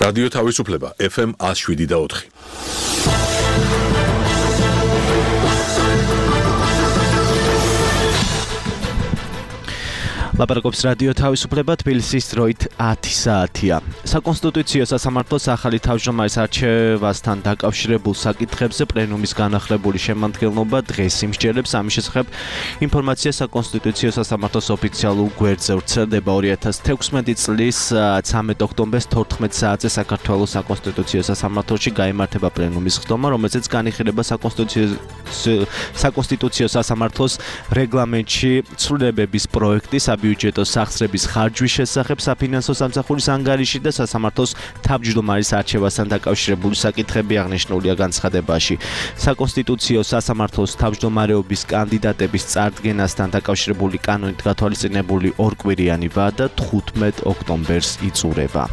რადიო თავისუფლება FM 107.4. ლაპარაკობს რადიო თავისუფლება თბილისის დროით 10 საათია. საკონსტიტუციო სასამართლოს ახალი თავმჯდომარის არჩევასთან დაკავშირებულ საკითხებზე პლენუმის განახლებული შემადგენლობა დღეს იმსჯელებს. ამის შესახებ ინფორმაცია საკონსტიტუციო სასამართლოს ოფიციალურ გვერდზე ვრცელდება. 2016 წლის 13 ოქტომბერს 14 საათზე საქართველოს საკონსტიტუციო სასამართლოში გაიმართება პლენუმის ხდომა, რომელზეც განიხილება საკონსტიტუციო სასამართლოს რეგლამენტში ცვლილებების პროექტი საბიუჯეტო სახსრების ხარჯვის შესახებ საფინანსო სამსახურის ანგარიში და სასამართლოს თავმჯდომარის არჩევასთან დაკავშირებული საკითხები აღნიშნულია განცხადებაში. საკონსტიტუციო სასამართლოს თავმჯდომარეობის კანდიდატების წარდგენასთან დაკავშირებული კანონით გათვალისწინებული ორკვირიანი ვადა 15 ოქტომბერს იწურება.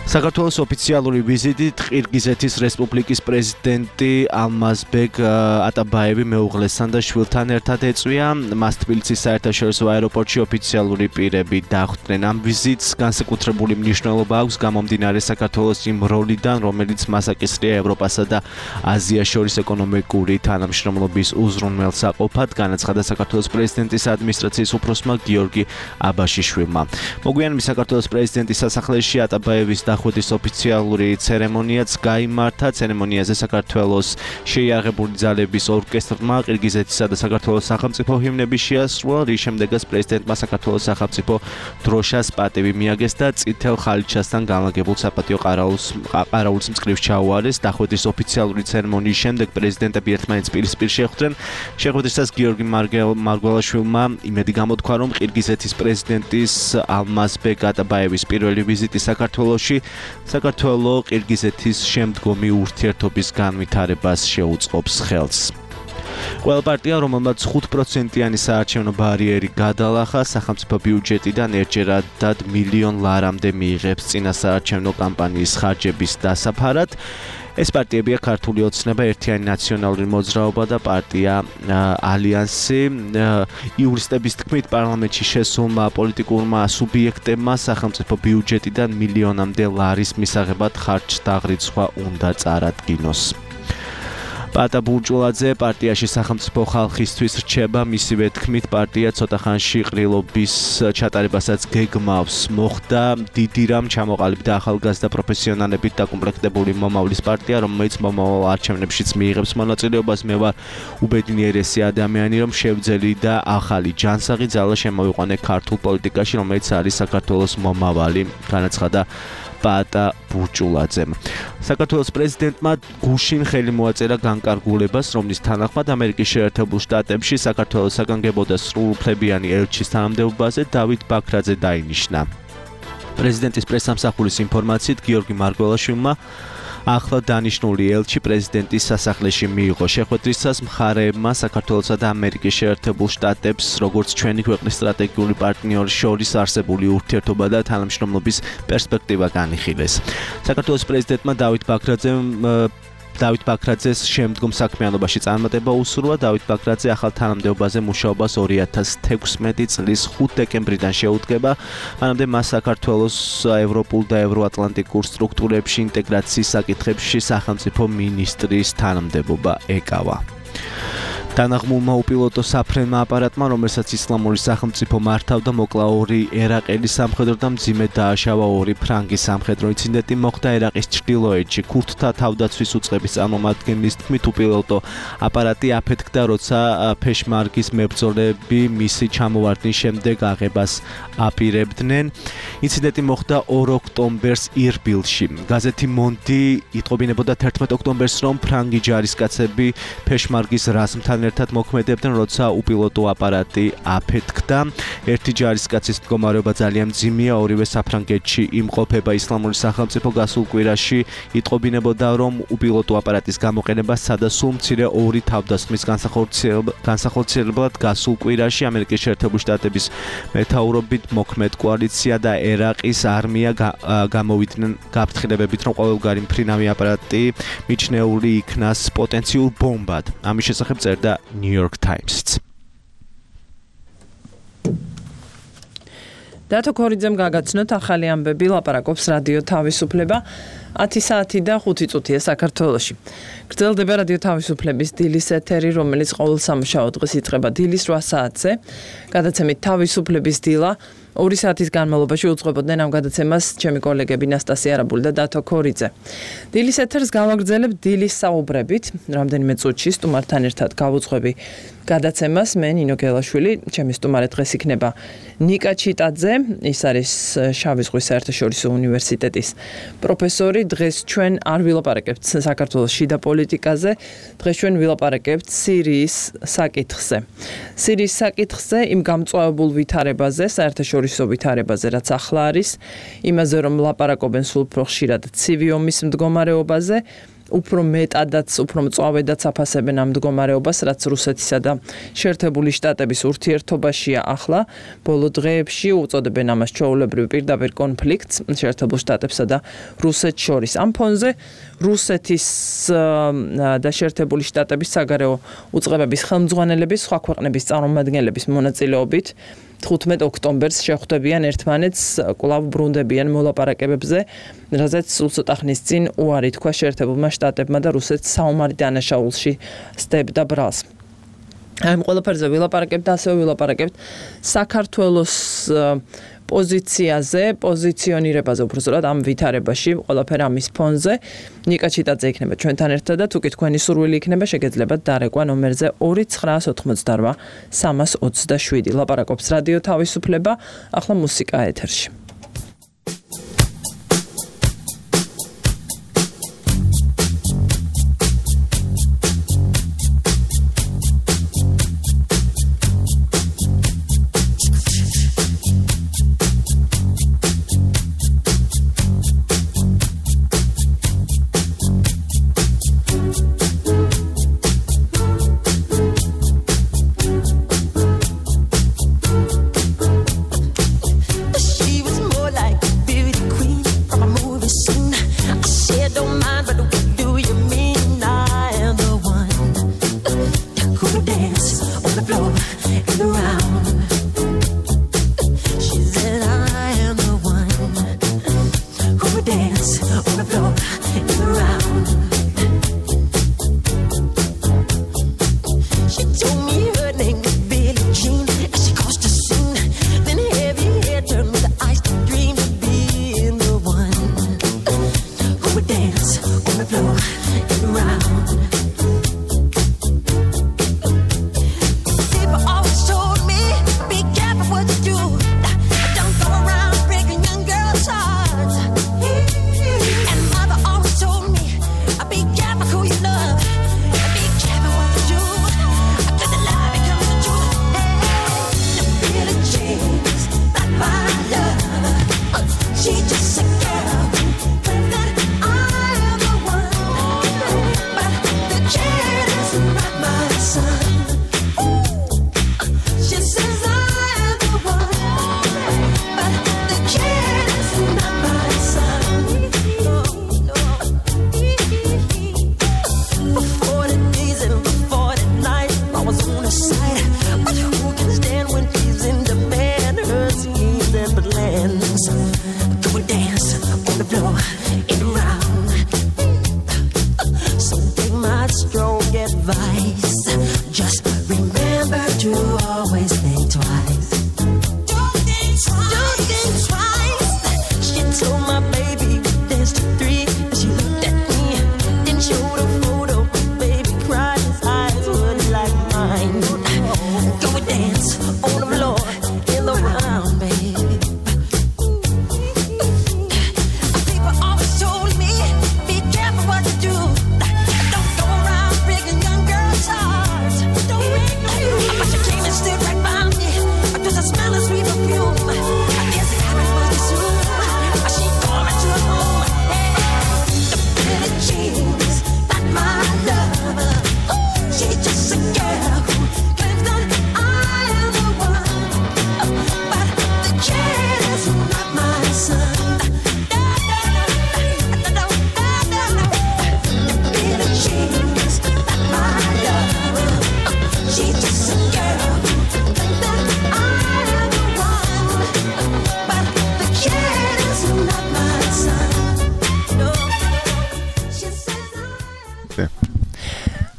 საქართველოს ოფიციალური ვიზიტით ყირგიზეთის რესპუბლიკის პრეზიდენტი ალმაზბეგ ატაბაევი მეუღლესთან და შვილთან ერთად ეწვია. მას თბილისის საერთაშორისო აეროპორტში ოფიციალური პირები დახვდნენ. ამ ვიზიტს განსაკუთრებული მნიშვნელობა აქვს გამომდინარე საქართველოს იმ როლიდან, რომელიც მას აკისრია ევროპასა და აზიას შორის ეკონომიკური თანამშრომლობის უზრუნველსაყოფად, განაცხადა საქართველოს პრეზიდენტის ადმინისტრაციის უფროსმა გიორგი აბაშიშვილმა. მოგვიანებით საქართველოს პრეზიდენტის სასახლეში ატაბაევის ხვდის ოფიციალური ცერემონიაც გაიმართა. ცერემონიაზე საქართველოს შეიარაღებული ძალების ორკესტრმა ყირგიზეთისა და საქართველოს სახელმწიფო ჰიმნები შეასრულა, რის შემდეგაც პრეზიდენტმა საქართველოს სახელმწიფო დროშას პატივი მიაგეს და წითელ ხალიჩასთან განლაგებულ საპატიო ყარაულს მწკრივს ჩაუარეს. დახვედრის ოფიციალური ცერემონიის შემდეგ პრეზიდენტები ერთმანეთს პირისპირ შეხვდნენ. შეხვედრისას გიორგი მარგველაშვილმა იმედი გამოთქვა, რომ ყირგიზეთის პრეზიდენტის ალმაზბეგ ატაბაევის პირველი ვიზიტი საქართველოში საქართველო-ყირგიზეთის შემდგომი ურთიერთობის განვითარებას შეუწყობს ხელს. ყველა პარტია, რომელმაც 5%-იანი საარჩევნო ბარიერი გადალახა, სახელმწიფო ბიუჯეტიდან ერთჯერადად მილიონ ლარამდე მიიღებს წინასაარჩევნო კამპანიის ხარჯების დასაფარად. ეს პარტიებია ქართული ოცნება, ერთიანი ნაციონალური მოძრაობა და პარტია ალიანსი. იურისტების თქმით, პარლამენტში შესულმა პოლიტიკურმა სუბიექტებმა სახელმწიფო ბიუჯეტიდან მილიონამდე ლარის მისაღებად ხარჯთაღრიცხვა უნდა წარადგინოს. პატა ბურჭულაძე პარტიაში სახელმწიფო ხალხისთვის რჩება. მისივე თქმით, პარტია ცოტა ხანში ყრილობის ჩატარებასაც გეგმავს. მოხდა დიდი რამ ჩამოყალიბდა ახალგაზრდა პროფესიონალებით დაკომპლექტებული მომავლის პარტია, რომელიც მომავალ არჩევნებშიც მიიღებს მონაწილეობას. მე ვარ უბედნიერესი ადამიანი, რომ შევძელი და ახალი ჯანსაღი ძალა შემოვიყვანე ქართულ პოლიტიკაში, რომელიც არის საქართველოს მომავალი, განაცხადა პატა ბურჭულაძემ. საქართველოს პრეზიდენტმა გუშინ ხელი მოაწერა განკარგულებას, რომლის თანახმად ამერიკის შეერთებულ შტატებში საქართველოს საგანგებო და სრულუფლებიანი ელჩის თანამდებობაზე დავით ბაქრაძე დაინიშნა. პრეზიდენტის პრესსამსახურის ინფორმაციით გიორგი მარგველაშვილმა ახლა დანიშნული ელჩი პრეზიდენტის სასახლეში მიიღო. შეხვედრისას მხარეებმა საქართველოსა და ამერიკის შეერთებულ შტატებს, როგორც ჩვენი ქვეყნის სტრატეგიული პარტნიორის შორის არსებული ურთიერთობა და თანამშრომლობის პერსპექტივა განიხილეს. საქართველოს პრეზიდენტმა დავით ბაქრაძეს შემდგომ საქმიანობაში წარმატება უსურვა. დავით ბაქრაძე ახალ თანამდებობაზე მუშაობას 2016 წლის 5 დეკემბრიდან შეუდგება. მანამდე მას საქართველოს ევროპულ და ევროატლანტიკურ სტრუქტურებში ინტეგრაციის საკითხებში სახელმწიფო მინისტრის თანამდებობა ეკავა. დანაღმულმა უპილოტო საფრენმა აპარატმა, რომელსაც ისლამური სახელმწიფო მართავდა, მოკლა 2 ერაყელი სამხედრო და მძიმედ დააშავა 2 ფრანგი სამხედრო. ინციდენტი მოხდა ერაყის ჩრდილოეთში. ქურთთა თავდაცვის უწყების წარმომადგენლის თქმით, უპილოტო აპარატი აფეთქდა, როცა ფეშმარგის მებრძოლები მისი ჩამოვარდნის შემდეგ აღებას აპირებდნენ. ინციდენტი მოხდა 2 ოქტომბერს ირბილში. გაზეთი მონდი იტყობინებოდა 11 ოქტომბერს, რომ ფრანგი ჯარისკაცები ფეშმარგის რაზმთან ერთად მოქმედებდნენ, როცა უპილოტო აპარატი აფეთქდა. ერთი ჯარისკაცის მდგომარეობა ძალიან მძიმეა, ორივე საფრანგეთში იმყოფება. ისლამური სახელმწიფო გასულ კვირაში იტყობინებოდა, რომ უპილოტო აპარატის გამოყენება სადასულ მცირე 2 თავდასხმის განსახორციელებლად გასულ კვირაში ამერიკის შეერთებული შტატების მეთაურობით მოქმედ კოალიცია და ერაყის არმია გამოვიდნენ გაფრთხილებებით, რომ ყოველგვარი მფრინავი აპარატი მიჩნეული იქნას პოტენციურ ბომბად. ამის შესახებ წერდა New York Times-ს. დათო ქორიძემ გაგაცნოთ ახალი ამბები, ლაპარაკობს რადიო თავისუფლება 10 საათი და 5 წუთია საქართველოში. გრძელდება რადიო თავისუფლების დილის ეთერი, რომელიც ყოველ სამუშაო დღეს იწყება დილის 8 საათზე. გადაცემით თავისუფლების დილა 2 საათის განმავლობაში უძღვებოდნენ ამ გადაცემას ჩემი კოლეგები ნასტასია არაბული და დათო ქორიძე. დილის ეთერს გავაგრძელებ დილის საუბრებით, რამდენიმე წუთში სტუმართან ერთად გავუძღვები გადაცემას. მე ნინო გელაშვილი, ჩემი სტუმარი დღეს იქნება ნიკა ჩიტაძე, ის არის შავი ზღვის საერთაშორისო უნივერსიტეტის პროფესორი. დღეს ჩვენ არ ვილაპარაკებთ საქართველოს შიდა პოლიტიკაზე, დღეს ჩვენ ვილაპარაკებთ სირიის საკითხზე. სირიის საკითხზე იმ გამწვავებულ ვითარებაზე, საერთაშორისო ვითარებაზე, რაც ახლა არის, იმაზე რომ ლაპარაკობენ სულ უფრო ხშირად ცივი ომის მდგომარეობაზე, უფრო მეტადაც, უფრო მწვავედაც აფასებენ ამ მდგომარეობას, რაც რუსეთისა და შეერთებული შტატების ურთიერთობაშია ახლა. ბოლო დღეებში უწოდებენ ამას ჩვეულებრივ პირდაპირ კონფლიქტს შეერთებულ შტატებსა და რუსეთს შორის. ამ ფონზე რუსეთის და შეერთებული შტატების საგარეო უწყებების ხელმძღვანელების, სხვა ქვეყნების წარმომადგენლების მონაწილეობით 15 ოქტომბერს შეხვდებიან ერთმანეთს, კვლავ ბრუნდებიან მოლაპარაკებებზე, რაზეც სულ ცოტა ხნის წინ უარი თქვა შეერთებულმა შტატებმა და რუსეთს საომარი დანაშაულში სდებდა ბრალს. ამ ყველაფერზე ვილაპარაკებთ და ასევე ვილაპარაკებთ საქართველოს პოზიციაზე, პოზიციონირებაზე, უბრალოდ ამ ვითარებაში, ყველაფერ ამის ფონზე. ნიკა ჩიტაძე იქნება ჩვენთან ერთად და თუ კი თქვენი სურვილი იქნება, შეგეძლებათ დარეკვა ნომერზე 2988 327. ლაპარაკობს რადიო თავისუფლება, ახლა მუსიკა ეთერში. She was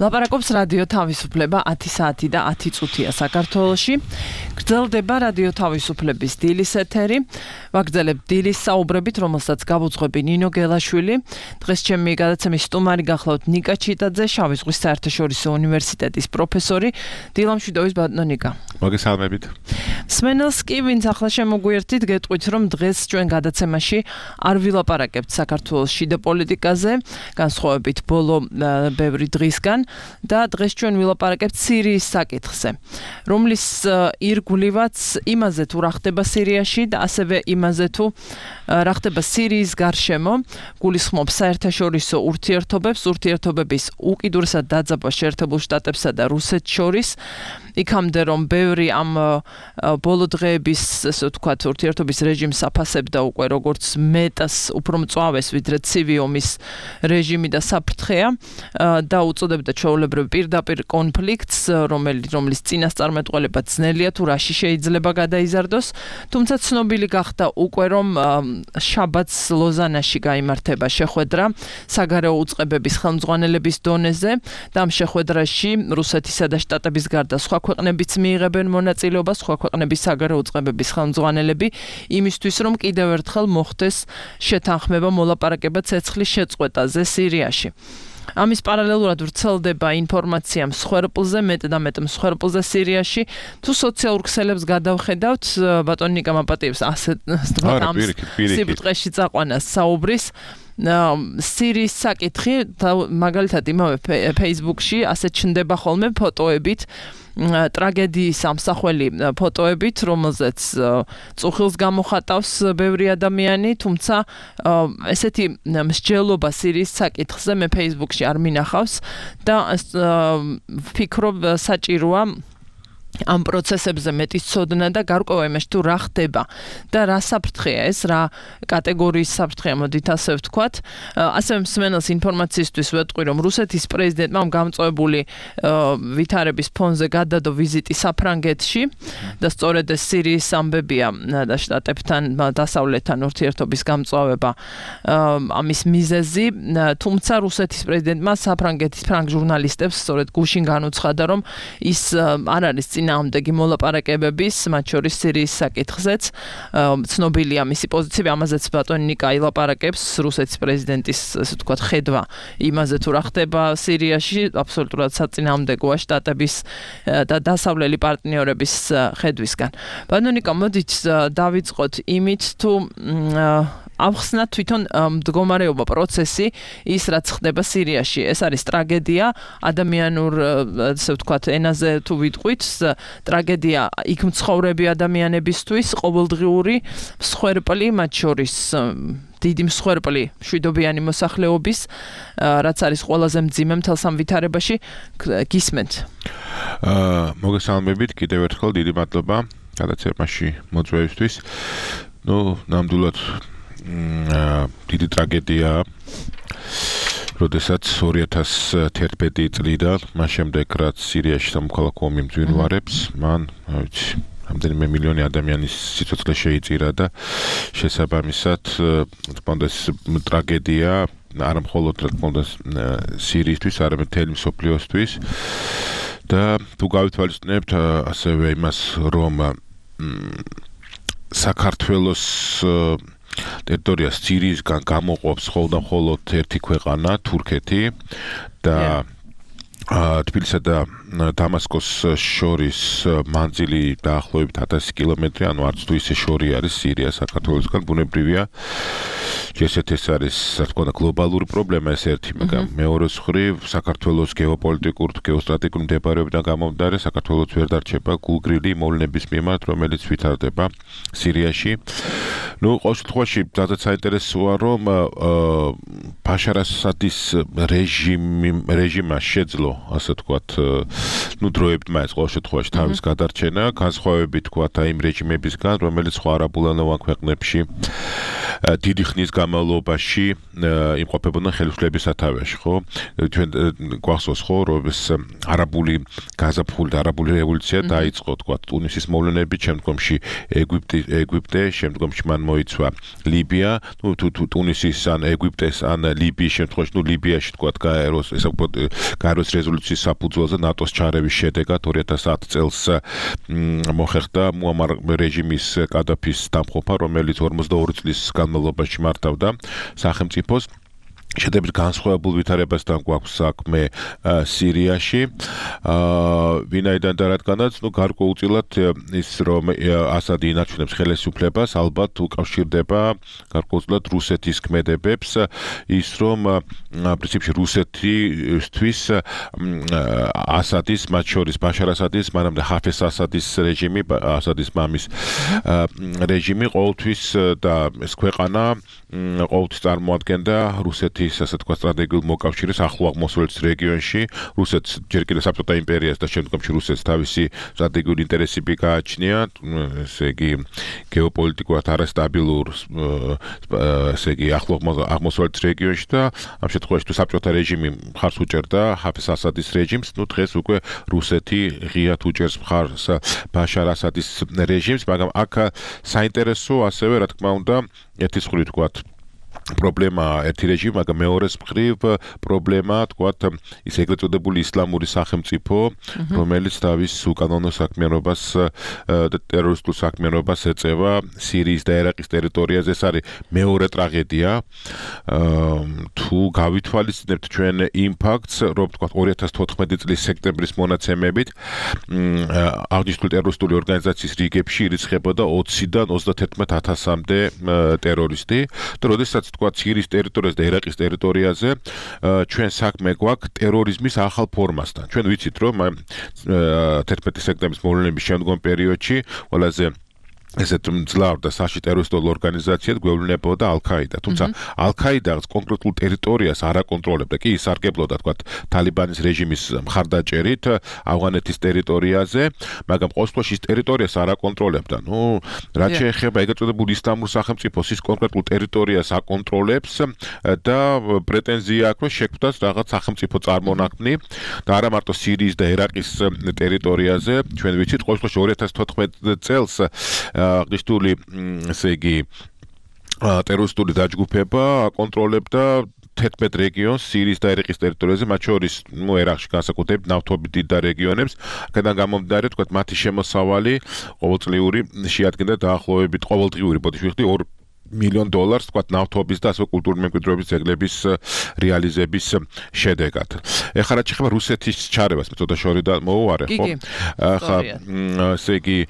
ლაპარაკობს რადიო თავისუფლება 10 საათი და 10 წუთია საქართველოში. გრძელდება რადიო თავისუფლების დილის ეთერი. ვაგრძელებ დილის საუბრებით, რომელსაც გავუძღვები ნინო გელაშვილი. დღეს ჩემი გადაცემის სტუმარი გახლავთ ნიკა ჩიტაძე, შავი ზღვის საერთაშორისო უნივერსიტეტის პროფესორი. დილამშვიდობის ბატონო ნიკა. მოგესალმებით. მსმენელს კი ვინც ახლა შემოგვიერთით, გეტყვით რომ დღეს ჩვენ გადაცემაში არ ვილაპარაკებთ საქართველოს შიდა პოლიტიკაზე, განსხვავებით ბოლო ბევრი დღისგან. და დღეს ჩვენ ვილაპარაკებთ სირიის საკითხზე, რომლის ირგვლივაც იმაზე თუ რა ხდება სირიაში და ასევე იმაზე თუ რა ხდება სირიის გარშემო, გულისხმობს საერთაშორისო ურთიერთობების უკიდურესად დაძაბვა შეერთებულ შტატებსა და რუსეთს შორის. იქამდე რომ ბევრი ამ ბოლო დღეების, ესე ვთქვათ, ურთიერთობის რეჟიმს აფასებდა უკვე როგორც მეტას უფრო მწვავეს, ვიდრე ცივი ომის რეჟიმი და საფრთხეა და უწოდებდა ჩვეულებრივ პირდაპირ კონფლიქტს, რომლის წინასწარმეტყველება ძნელია თუ რაში შეიძლება გადაიზარდოს. თუმცა ცნობილი გახდა უკვე რომ შაბათს ლოზანაში გაიმართება შეხვედრა საგარეო უწყებების ხელმძღვანელების დონეზე და ამ შეხვედრაში რუსეთისა და შტატების გარდა სხვა ქვეყნებიც მიიღებენ მონაწილეობას, სხვა ქვეყნების საგარეო უწყებების ხელმძღვანელები, იმისთვის რომ კიდევ ერთხელ მოხდეს შეთანხმება მოლაპარაკება ცეცხლის შეწყვეტაზე სირიაში. ამის პარალელურად ვრცელდება ინფორმაცია მსხვერპლზე, მეტ და მეტ მსხვერპლზე სირიაში. თუ სოციალურ ქსელებს გადავხედავთ, ბატონო ნიკა მაპატიებს ასე ამ სიბტყეში წაყვანას საუბრის. სირიის საკითხი მაგალითად იმავე Facebook-ში ასე ჩნდება ხოლმე ფოტოებით, ტრაგედიის ამსახველი ფოტოებით, რომელზეც წუხილს გამოხატავს ბევრი ადამიანი, თუმცა ესეთი მსჯელობა სირიის საკითხზე მე Facebook-ში არ მინახავს და ვფიქრობ საჭიროა ამ პროცესებზე მეტის ცოდნა და გარკვევა იმაში თუ რა ხდება და რა საფრთხეა ეს, რა კატეგორიის საფრთხეა, მოდით ასე ვთქვათ. ასევე მსმენელს ინფორმაციისთვის ვეტყვი, რომ რუსეთის პრეზიდენტმა გამწვეული ვითარების ფონზე გადადო ვიზიტი საფრანგეთში და სწორედ ეს სირიის ამბებია და შტატებთან, დასავლეთთან ურთიერთობის გამწვავება ამის მიზეზი, თუმცა რუსეთის პრეზიდენტმა საფრანგეთის ფრანგ ჟურნალისტებს სწორედ გუშინ განუცხადა, რომ ის არ არის წინააღმდეგი მოლაპარაკებების, მათ შორის სირიის საკითხზეც. ცნობილია მისი პოზიცია, ამაზეც ბატონი ნიკა ილაპარაკებს, რუსეთის პრეზიდენტის, ასე ვთქვათ, ხედვა იმაზე თუ რა ხდება სირიაში, აბსოლუტურად საწინააღმდეგოა შტატების და დასავლელი პარტნიორების ხედვისგან. ბატონო ნიკა, მოდით დავიწყოთ იმით, თუ ავხსნათ თვითონ მდგომარეობა, პროცესი, ის რაც ხდება სირიაში. ეს არის ტრაგედია, ადამიანურ, ასე ვთქვათ, ენაზე თუ ვიტყვით, ტრაგედია იქ მცხოვრები ადამიანებისთვის, ყოველდღიური მსხვერპლი, მათ შორის დიდი მსხვერპლი მშვიდობიანი მოსახლეობის, რაც არის ყველაზე მძიმე მთელს ამ ვითარებაში. გისმენთ. მოგესალმებით, კიდევ ერთხელ დიდი მადლობა გადაცემაში მოწვევისთვის. ნამდვილად დიდი ტრაგედია, როდესაც 2011 წლიდან, მას შემდეგ რაც სირიაში სამოქალაქო ომი მძვინვარებს, მან, რამდენიმე მილიონი ადამიანის სიცოცხლე შეიწირა და შესაბამისად, თქონდეს ტრაგედია არა მხოლოდ სირიისთვის, არამედ მთელი მსოფლიოსთვის და თუ გავითვალისწინებთ ასევე იმას, რომ საქართველოს ტერიტორიას სირიისგან გამოყოფს მხოლოდ ერთი ქვეყანა, თურქეთი და თბილისსა და დამასკოს შორის მანძილი დაახლოებით 1000 კილომეტრი, ანუ არც თუ ისე შორი არის სირია საქართველოსგან, ბუნებრივია. ესეთი ეს არის, რა თქმა უნდა, გლობალური პრობლემა ეს ერთი, მაგრამ მეორე მხრივ საქართველოს გეოპოლიტიკურ, გეოსტრატეგიულ მდებარეობიდან გამომდინარე, საქართველოს ვერ დარჩება გულგრილი მოვლენების მიმართ, რომელიც ვითარდება სირიაში. ყოველ შემთხვევაში, ძალიან საინტერესოა, რომ ბაშარ ასადის რეჟიმმა შეძლო, ასე ვთქვათ, დროებით მაინც ყოველ შემთხვევაში თავის გადარჩენა, განსხვავებით თქვათ იმ რეჟიმებისგან, რომელიც სხვა არაბულენოვან ქვეყნებში დიდი ხნის განმავლობაში იმყოფებოდნენ ხელისუფლების სათავეში, ხო? ჩვენ გვახსოვს, ხო, რომ ეს არაბული გაზაფხული და არაბული რევოლუცია დაიწყო, თქვა, ტუნისის მოვლენებით, შემდგომში ეგვიპტე, შემდგომში მან მოიცვა ლიბია, ну ტუნისის ან ეგვიპტეს ან ლიბიის შემთხვევაში, ну ლიბიაში თქვა გაეროს რეზოლუციის საფუძველზე ნატოს ჩარევის შედეგად 2010 წელს მოხერხდა მუამარ რეჟიმის კადაფის დამხობა, რომელიც 42 წლის განმავლობაში მართავდა სახელმწიფოს. შედარებით განსხვავებულ ვითარებასთან გვაქვს საქმე სირიაში. ვინაიდან და რადგანაც, ну გარკვეულწილად ის რომ ასადი ინარჩუნებს ხელისუფლებას, ალბათ უკავშირდება გარკვეულწილად რუსეთის ქმედებებს, ის რომ პრინციპში რუსეთისთვის ასადის, მათ შორის ბაშარ ასადის, მანამდე ჰაფეზ ასადის რეჟიმი, ასადის მამის რეჟიმი ყოველთვის და ეს ქვეყანა ყოველთვის წარმოადგენდა რუსეთის ასე თქვა სტრატეგიულ მოკავშირეს ახლო აღმოსავლეთის რეგიონში. რუსეთს ჯერ კიდევ საბჭოთა იმპერიას და შემდგომში რუსეთს თავისი სტრატეგიული ინტერესები გააჩნია, ესე იგი გეოპოლიტიკურად არასტაბილურ ესე იგი ახლო აღმოსავლეთის რეგიონში და ამ შემთხვევაში თუ საბჭოთა რეჟიმი მხარს უჭერდა ჰაფეზ ასადის რეჟიმს, ну დღეს უკვე რუსეთი ღიად უჭერს მხარს ბაშარ ასადის რეჟიმს, მაგრამ აქ საინტერესო ასევე რა თქმა უნდა ერთის მხრივ თქვათ პრობლემაა ერთი რეჟიმი, მაგრამ მეორეს მხრივ პრობლემაა თქვათ ის ეგრეთ წოდებული ისლამური სახელმწიფო, რომელიც თავის უკანონო საქმიანობას და ტერორისტულ საქმიანობას ეწევა სირიის და ერაყის ტერიტორიაზე. ეს არის მეორე ტრაგედია. თუ გავითვალისწინებთ ჩვენ იმ ფაქტს, რომ თქვათ 2014 წლის სექტემბრის მონაცემებით აღნიშნული ტერორისტული ორგანიზაციის რიგებში ირიცხებოდა 20-დან 31,000-მდე ტერორისტი და როდესაც თქვათ სირიის ტერიტორიაზე და ერაყის ტერიტორიაზე ჩვენ საქმე გვაქვს ტერორიზმის ახალ ფორმასთან. ჩვენ ვიცით რომ 11 სექტემბრის მოვლენების შემდგომ პერიოდში ყველაზე ესეთ მძლავრ და საში ტერორისტულ ორგანიზაციად გვევლინებოდა ალ-ქაიდა. თუმცა ალ-ქაიდას კონკრეტულ ტერიტორიას არ აკონტროლებდა. კი ის სარგებლობდა თქვათ თალიბანის რეჟიმის მხარდაჭერით ავღანეთის ტერიტორიაზე, მაგრამ ყოველ შემთხვევაში ის ტერიტორიას არ აკონტროლებდა. ნუ რაც შეეხება ეგრეთ წოდებული ისლამურ სახელმწიფოს, ის კონკრეტულ ტერიტორიას აკონტროლებს და პრეტენზია აქვს, რომ შექმნას რაღაც სახელმწიფო წარმონაქმნი და არა მარტო სირიის და ერაყის ტერიტორიაზე. ჩვენ ვიცით ყოველ შემთხვევაში 2014 წელს აღნიშნული ესე იგი ტერორისტული დაჯგუფება აკონტროლებდა 11 რეგიონს სირიის და ერაყის ტერიტორიაზე, მათ შორის ერაყში განსაკუთრებით ნავთობით დიდ რეგიონებს, აქედან გამომდინარე, თქვათ, მათი შემოსავალი ყოველწლიური შეადგენდა დაახლოებით ყოველდღიური, ბოდიში ვიხდი $2 მილიონ თქვათ ნავთობის და ასე კულტურული მემკვიდრეობის ძეგლების რეალიზების შედეგად. ეხლა რაც შეეხება რუსეთის ჩარევას, მე ცოტა შორიდან მოვუარე, ხო? ახლა ესე იგი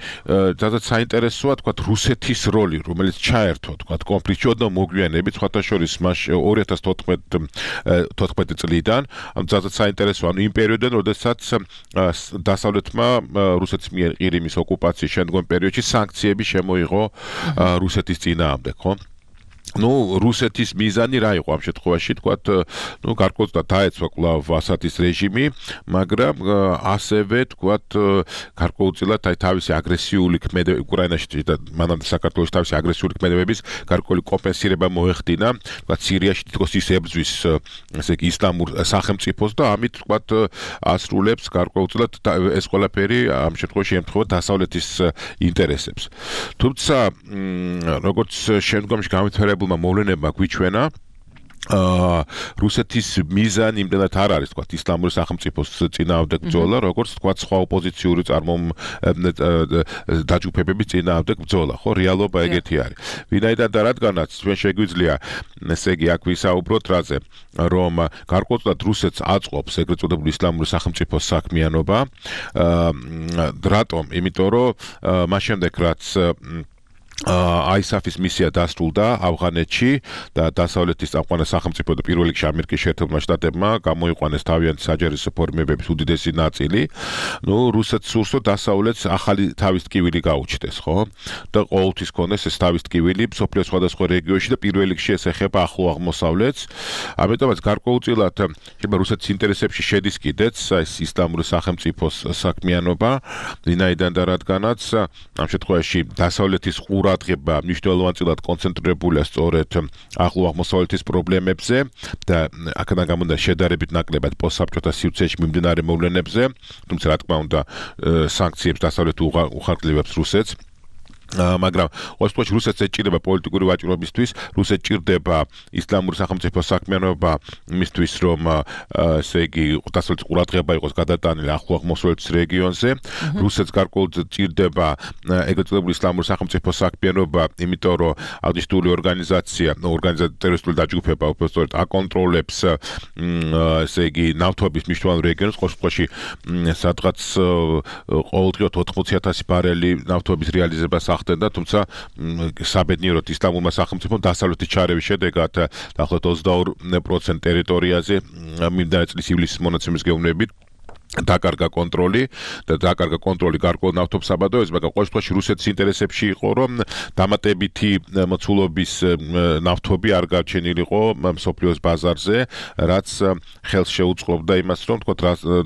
ძალიან საინტერესოა, თქვათ, რუსეთის როლი, რომელიც ჩაერთო, თქვათ, კონფლიქტში ოდნავ მოგვიანებით, სხვათა შორის 2014 წლიდან, ძალიან საინტერესოა, ანუ იმ პერიოდიდან, როდესაც დასავლეთმა რუსეთის მიერ ყირიმის ოკუპაციის შემდგომ პერიოდში სანქციები შემოიღო რუსეთის წინააღმდეგ, ხო? Ну, რუსეთის მიზანი რა იყო ამ შემთხვევაში, თქვათ, ну, გარკვეულწილად დაეცვა კვლავ ასადის რეჟიმი, მაგრამ ასევე, თქვათ, გარკვეულწილად თავისი აგრესიული ქმედებები უკრაინაში და მანამდე საქართველოში თავისი აგრესიული ქმედებების გარკვეული კომპენსირება მოეხდინა, თქვათ, სირიაში თითქოს ის ებრძვის, ესე იგი, ისლამურ სახელმწიფოს და ამით, თქვათ, ასრულებს გარკვეულწილად ეს ყველაფერი ამ შემთხვევაში ემთხვევა დასავლეთის ინტერესებს. თუმცა, როგორც შემდგომში განვითარებულმა მოვლენებმა გვიჩვენა, რუსეთის მიზანი იმდენად არ არის, თქვათ, ისლამური სახელმწიფოს წინააღმდეგ ბრძოლა, როგორც თქვათ, სხვა ოპოზიციური დაჯგუფებების წინააღმდეგ ბრძოლა, ხო, რეალობა ეგეთი არის. ვინაიდან და რადგანაც ჩვენ შეგვიძლია, ესე იგი, აქ ვისაუბროთ რაზე, რომ გარკვეულწილად რუსეთს აწყობს ეგრეთ წოდებული ისლამური სახელმწიფოს საქმიანობა, რატომ? იმიტომ რომ მას შემდეგ რაც ISAF-ის მისია დასრულდა ავღანეთში და დასავლეთის წამყვან სახელმწიფო და პირველ რიგში ამერიკის შეერთებულმა შტატებმა გამოიყვანეს თავიანთი საჯარისო ფორმირებების უდიდესი ნაწილი. ნუ რუსეთს სურს რომ დასავლეთს ახალი თავის ტკივილი გაუჩნდეს, ხო? და ყოველთვის ქონდეს ეს თავის ტკივილი მსოფლიოს სხვადასხვა რეგიონში და პირველ რიგში ეს ეხება ახლო აღმოსავლეთს. ამიტომაც გარკვეულწილად შეიძლება რუსეთის ინტერესებში შედის კიდეც ეს ისლამური სახელმწიფოს საქმიანობა, ვინაიდან და რადგანაც ამ შემთხვევაში დასავლეთის ყურა ყურადღება მნიშვნელოვანწილად კონცენტრირებულია სწორედ ახლო აღმოსავლეთის პრობლემებზე და აქედან გამომდინარე შედარებით ნაკლებად პოსტსაბჭოთა სივრცეში მიმდინარე მოვლენებზე, თუმცა რა თქმა უნდა სანქციებს დასავლეთ უხარკლებებს რუსეთს. მაგრამ ოსტოში რუსეთს ეჭირება პოლიტიკური ვაჭრობისთვის, რუსეთს ჭირდება ისლამური სახელმწიფო საქმიანობა იმისთვის, რომ ესე იგი დასავლეთის ყურადღება იყოს გადატანილი ახლო აღმოსავლეთის რეგიონზე. რუსეთს გარკვეულად ჭირდება ეგრეთ წოდებული ისლამური სახელმწიფო საქმიანობა, იმიტომ რომ აღნიშნული ტერორისტული დაჯგუფება უბრალოდ აკონტროლებს ესე იგი ნავთობის მნიშვნელოვან რეგიონს, ოსტოში სადღაც ყოველდღიურად 80,000 ბარელი ნავთობის რეალიზებას ხდება, თუმცა საბედნიეროდ ისლამურმა სახელმწიფომ დასავლეთის ჩარევის შედეგად დაახლოებით 22% ტერიტორიაზე მიმდინარე წლის ივლისის მონაცემის გეუბნებით დაკარგა კონტროლი გარკვეულ ნავთობსაბადოებზე, მაგრამ ყოველ შემთხვევაში რუსეთის ინტერესებში იყო, რომ დამატებითი მოცულობის ნავთობი არ გარჩენილიყო მსოფლიოს ბაზარზე, რაც ხელს შეუწყობდა იმას, რომ თქო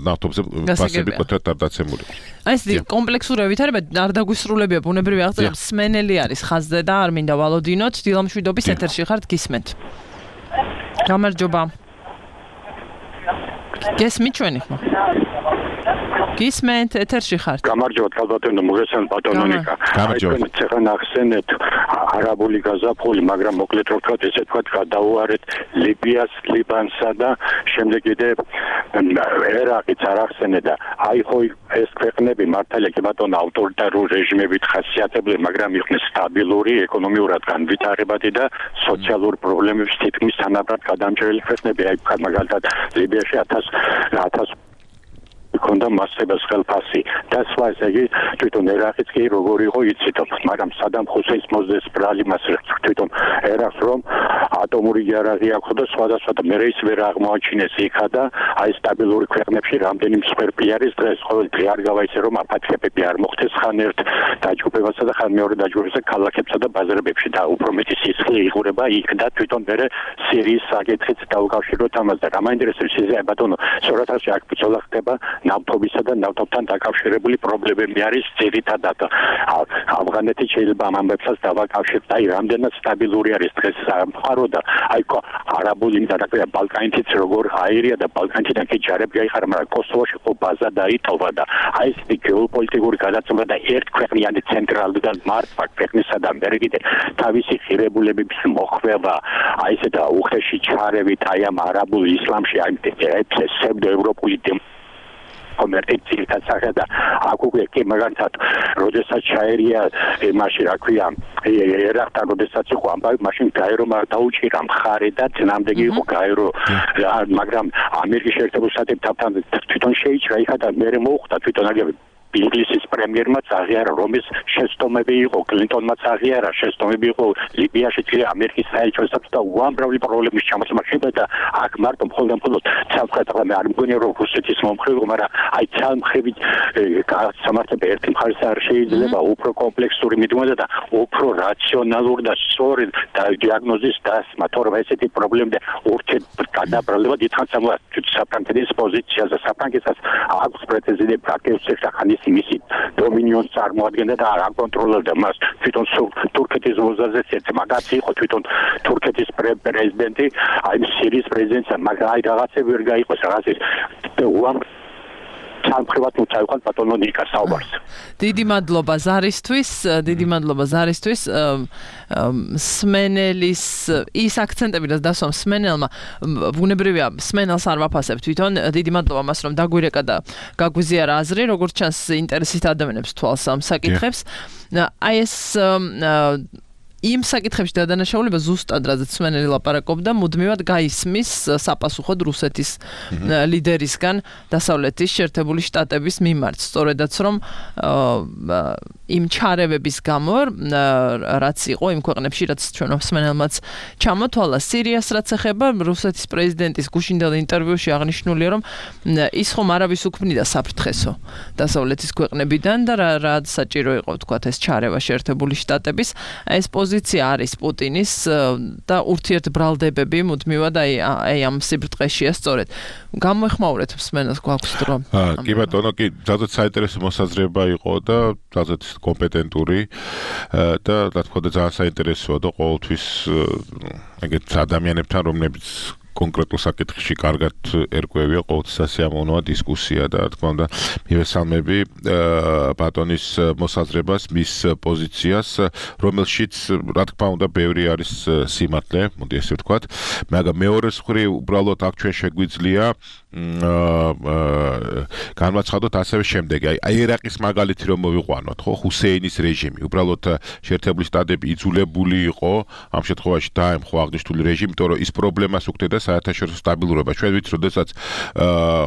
ნავთობზე ფასები კოტრად არ დაცემულიყო. აი ეს კომპლექსური ვითარება არ დაგვისრულებია ბუნებრივი აღწერა, სმენელი არის ხაზზე და არ მინდა ვალოდინოთ, დილამშვიდობის ეთერში ხართ, გისმენთ. გამარჯობა. გესმით ჩვენი ხო? გისმენთ ეთერში ხართ. გამარჯობა კალბატონო მოგესალმებით ბატონო ნიკა. გამარჯობა. ცეხა ნახსენეთ არაბული გაზაფხული, მაგრამ მოკლედ რო ვთქვათ, ესე ვთქვათ, გადაუარეთ ლიბიას, ლიბანსა და შემდეგ კიდე ერაყიც არ ახსენე და აი ხო ეს ქვეყნები მართალია კი ბატონო ავტორიტარული რეჟიმებით ხასიათებული, მაგრამ იყვნენ სტაბილური, ეკონომიურად განვითარებადი და სოციალური პრობლემების თითქმის თანაბრად გადამჭრელი ქვეყნები. აი მაგალითად ლიბიაში 1000 ქონდა მასებას ხელფასი და სხვა ესე იგი თვითონ ერაყიც კი როგორ იყო იცით, მაგრამ სადამ ხუსეინს მოძდეს ბრალი მას თვითონ ერაყს რომ ატომური იარაღი აქვს და სხვადასხვა და მე ის ვერ აღმოაჩინეს იქა და აი სტაბილური ქვეყნებში რამდენი მსხვერპლი არის დღეს ყოველ დღე არ გავა ისე რომ აფათქებები არ მოხდეს ხან ერთ დაჯგუფებასა და ხან მეორე დაჯგუფებასა ქალაქებსა და ბაზარებში და უფრო მეტი სისხლი იღურება იქ და თვითონ მე სირიის საკითხით დავუკავშიროთ ამას და გამაინტერესებს ისე ბატონო სურათაში აქ ბრძოლა ხდება ნავთობისა და ნავთობთან დაკავშირებული პრობლემები არის ძირითადად ავღანეთი შეიძლება ამ ამბებსაც დავაკავშიროთ აი რამდენად სტაბილური არის დღეს სამყარო და აი არაბული ინტერნეტია ბალკანეთიც როგორ აირია და ბალკანეთიდან კი ჯარები გაიხარა მაგრამ კოსოვოში ხო ბაზა დაიტოვა და აი ეს გეოპოლიტიკური გადაცემა და ერთქვეყნიანი ცენტრალიდან მართვა ქვეყნისა და ამერიკიდან თავისი ღირებულებების მოხვება აი ესე და უხეში ჩარევით აი ამ არაბულ ისლამში აი ეს სევდოევროპული კონვერტიციის სახე და აქ უკვე კი მაგალითად როდესაც ჩაერია იმაში რა ქვია ერაყთან როდესაც იყო ამბავი მაშინ გაერო არ დაუჭირა მხარე და წინამდეგი იყო გაერო მაგრამ ამერიკის შეერთებულ შტატებთან თვითონ შეიჭრა იქა და მე მოუხდა თვითონ აგები ინგლისის პრემიერმაც აღიარა რომის შეცდომები იყო კლინტონმაც აღიარა შეცდომები იყო ლიბიაში კი ამერიკის საელჩოს და უამრავი პრობლემის ჩამოსმა შეიძლება და აქ მარტო მხოლოდ ცალკეთა მე არ მგონია რომ რუსეთის მომხრე მაგრამ აი ცალმხრივი სამართლება ერთი მხარეს არ შეიძლება უფრო კომპლექსური მიდგომა და უფრო რაციონალური და სწორი დიაგნოზის დასმა თორემ ესეთი პრობლემები ურჩეთ გადაბრალება დიდხანს საფრანგეთის პოზიციაზე საფრანგეთსაც აქვს პრეტენზიები პრაქტიკულად ხანის მისი დომინიონს წარმოადგენდა და არ აკონტროლებდა მას თვითონ თურქეთის ვოზაზე ერთ მაგაც იყო თვითონ თურქეთის პრეზიდენტი აი სირიის პრეზიდენტი მაგრამ აი რაღაცები ვერ გაიყოს რაღაცის სამხრივად უწევენ ბატონო ნიკა საუბარს. დიდი მადლობა ზარისთვის. სმენელის ის აქცენტები და დასვამ სმენელმა ბუნებრივია სმენელს არ ვაფასებ თვითონ. დიდი მადლობა მას რომ დაგვირეკა და გაგვიზიარა აზრი, როგორც ჩანს ინტერესით ადამიანებს თვალს ამ საკითხებს. აი ეს იმ საკითხებში დადანაშაულება ზუსტად რაზეც სმენელი ლაპარაკობდა, მუდმივად გაისმის საპასუხოდ რუსეთის ლიდერისგან დასავლეთის შეერთებული შტატების მიმართ. სწორედაც რომ იმ ჩარევების გამო, რაც იყო იმ ქვეყნებში, რაც ჩვენ სმენელმაც ჩამოთვალა სირიას რაც ეხება, რუსეთის პრეზიდენტის გუშინდელ ინტერვიუში აღნიშნულია, რომ ის ხომ არავის უქმნიდა საფრთხესო დასავლეთის ქვეყნებიდან და რა საჭირო იყო, თქვათ, ეს ჩარევა შეერთებული შტატების. ეს პოზიცია არის პუტინის და ურთიერთბრალდებები მუდმივად აი ამ სიბრტყეშია სწორედ. გამოეხმაურეთ მსმენელს გვაქვს დრო. კი ბატონო, კი, ძალზედ საინტერესო მოსაზრება იყო და ძალზედ კომპეტენტური და რა თქმა უნდა ძალიან საინტერესოა და ყოველთვის ეგეთ ადამიანებთან რომლებიც კონკრეტულ საკითხში კარგად ერკვევია ყოველთვის სასიამოვნოა დისკუსია და რა თქმა უნდა მივესალმები ბატონის მოსაზრებას, მის პოზიციას, რომელშიც რა თქმა უნდა ბევრი არის სიმართლე, მოდი ესე ვთქვათ, მაგრამ მეორე მხრივ უბრალოდ აქ ჩვენ შეგვიძლია განვაცხადოთ ასევე შემდეგი, აი ერაყის მაგალითი რომ მოვიყვანოთ, ხო, ჰუსეინის რეჟიმი, უბრალოდ შეერთებული შტატები იძულებული იყო ამ შემთხვევაში დაემხო აღნიშნული რეჟიმი, იმიტომ რომ ის პრობლემას უქმნიდა საერთაშორისო სტაბილურობა. ჩვენ ვიცით, როდესაც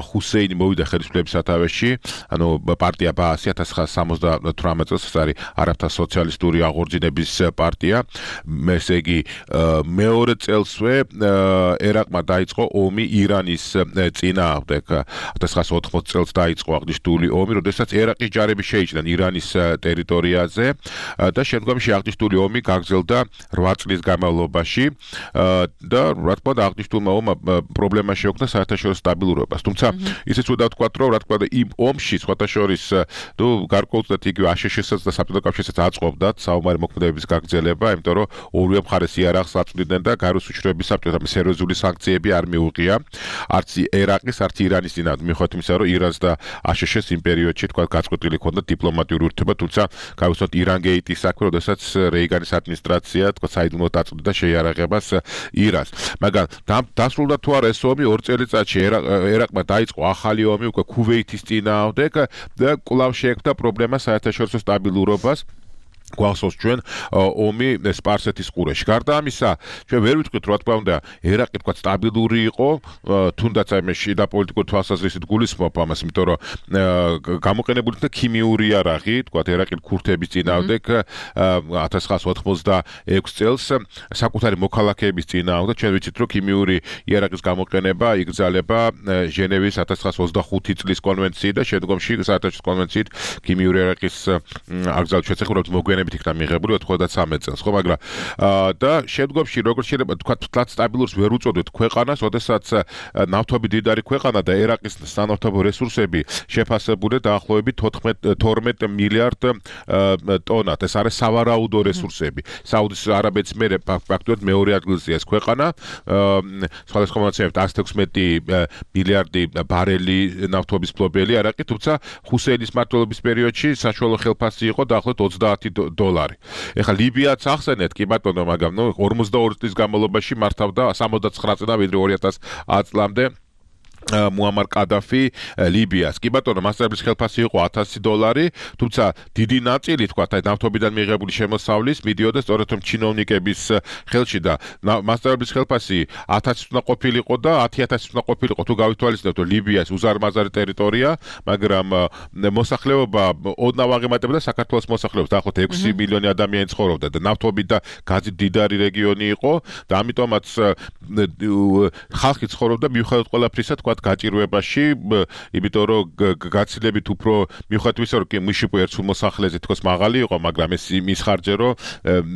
ჰუსეინი მოვიდა ხელისუფლების სათავეში, ანუ პარტია ბაასი 1978 წელს, ეს არის არაბთა სოციალისტური აღორძინების პარტია, ესე იგი მეორე წელსვე ერაყმა დაიწყო ომი ირანის წინააღმდეგ. 1980 წელს დაიწყო აღნიშნული ომი, როდესაც ერაყის ჯარები შეიჭრნენ ირანის ტერიტორიაზე და შემდგომში აღნიშნული ომი გაგრძელდა 8 წლის განმავლობაში და რა თქმა უნდა აღნიშნულმა ომმა პრობლემა შეუქმნა საერთაშორისო სტაბილურობას. თუმცა ისიც უნდა ვთქვათ, რომ რა თქმა უნდა იმ ომში სხვათა შორის გარკვეულწილად იგივე აშშ-საც და საბჭოთა კავშირსაც აწყობდათ საომარი მოქმედებების გაგრძელება, იმიტომ რომ ორივე მხარეს იარაღს აწვდიდნენ და გაროს უშუალოების საბჭოთა სერიოზული სანქციები არ მიუღია არც ერაყის, არც ირანის წინააღმდეგ, მიუხედავად იმისა, რომ ირანს და აშშ-ს იმ პერიოდში თქვა გაწყვეტილი ჰქონდა დიპლომატიური ურთიერთობა, თუმცა გავუსვათ ირანგეიტის საქმე, როდესაც რეიგანის ადმინისტრაცია თქვა საიდუმლოდ აწვდიდა შეიარაღებას ირანს. მაგრამ დასრულდა თუ არა ეს ომი 2 წელიწადში ერაყმა დაიწყო ახალი ომი უკვე ქუვეითის წინააღმდეგ და კვლავ შეექმნა პრობლემა საერთაშორისო სტაბილურობას. გვახსოვს ჩვენ ომი სპარსეთის ყურეში. გარდა ამისა, ჩვენ ვერ ვიტყვით, რა თქმა უნდა, ერაყი თქვა სტაბილური იყო, თუნდაც აი მე შიდა პოლიტიკური თვალსაზრისით გულისხმობ ამას, იმიტომ რომ გამოყენებული იქნა ქიმიური იარაღი, თქვა ერაყი ქურთების წინააღმდეგ 1986 წელს საკუთარი მოქალაქეების წინააღმდეგ. ჩვენ ვიცით, რომ ქიმიური იარაღის გამოყენება იგრძალება ჟენევის 1925 წლის კონვენციით და შემდგომში საერთაშორისო კონვენციით ქიმიური იარაღის აკრძალვის შესახებ მოგვიანებით იქნა მიღებული 93 წელს, ხო, მაგრამ და შემდგომში როგორც შეიძლება თქვა თლად სტაბილურს ვერ უწოდოთ ქვეყანას, როდესაც ნავთობი დიდარი ქვეყანა და ერაყის სანავთობო რესურსები შეფასებულია დაახლოებით 12 მილიარდ ტონად. ეს არის სავარაუდო რესურსები. საუდის არაბეთის მერე ფაქტობრივად მეორე ადგილზეა ეს ქვეყანა. სხვადასხვა მონაცემებით 116 მილიარდი ბარელი ნავთობის ფლობელი არაყი, თუმცა ჰუსეინის მმართველობის პერიოდში საშუალო ხელფასი იყო დაახლოებით $20. ეხლა ლიბიაც ახსენეთ, კი ბატონო, მაგრამ 42 წლის განმავლობაში მართავდა 79 წლიდან ვიდრე 2010 წლამდე მუამარ კადაფი ლიბიას. კი ბატონო, მასწავლებლის ხელფასი იყო $1000, თუმცა დიდი ნაწილი თქვა აი ნავთობიდან მიღებული შემოსავლის მიდიოდა სწორედ ჩინოვნიკების ხელში და მასწავლებლის ხელფასი 1000 უნდა ყოფილიყო და 10000 უნდა ყოფილიყო თუ გავითვალისწინებთ, რომ ლიბიას უზარმაზარი ტერიტორია, მაგრამ მოსახლეობა ოდნავ აღემატებოდა საქართველოს მოსახლეობას, დაახლოებით 6 მილიონი ადამიანი ცხოვრობდა და ნავთობით და გაზით დიდარი რეგიონი იყო და ამიტომაც ხალხი ცხოვრობდა მიუხედავად ყველაფრისა თქვა გაჭირვებაში, იმიტომ რომ გაცილებით უფრო მიუხედავად იმისა, რომ მიშიპო ერთსულ მოსახლეზე თქოს მაღალი იყო, მაგრამ ეს იმის ხარჯზე, რომ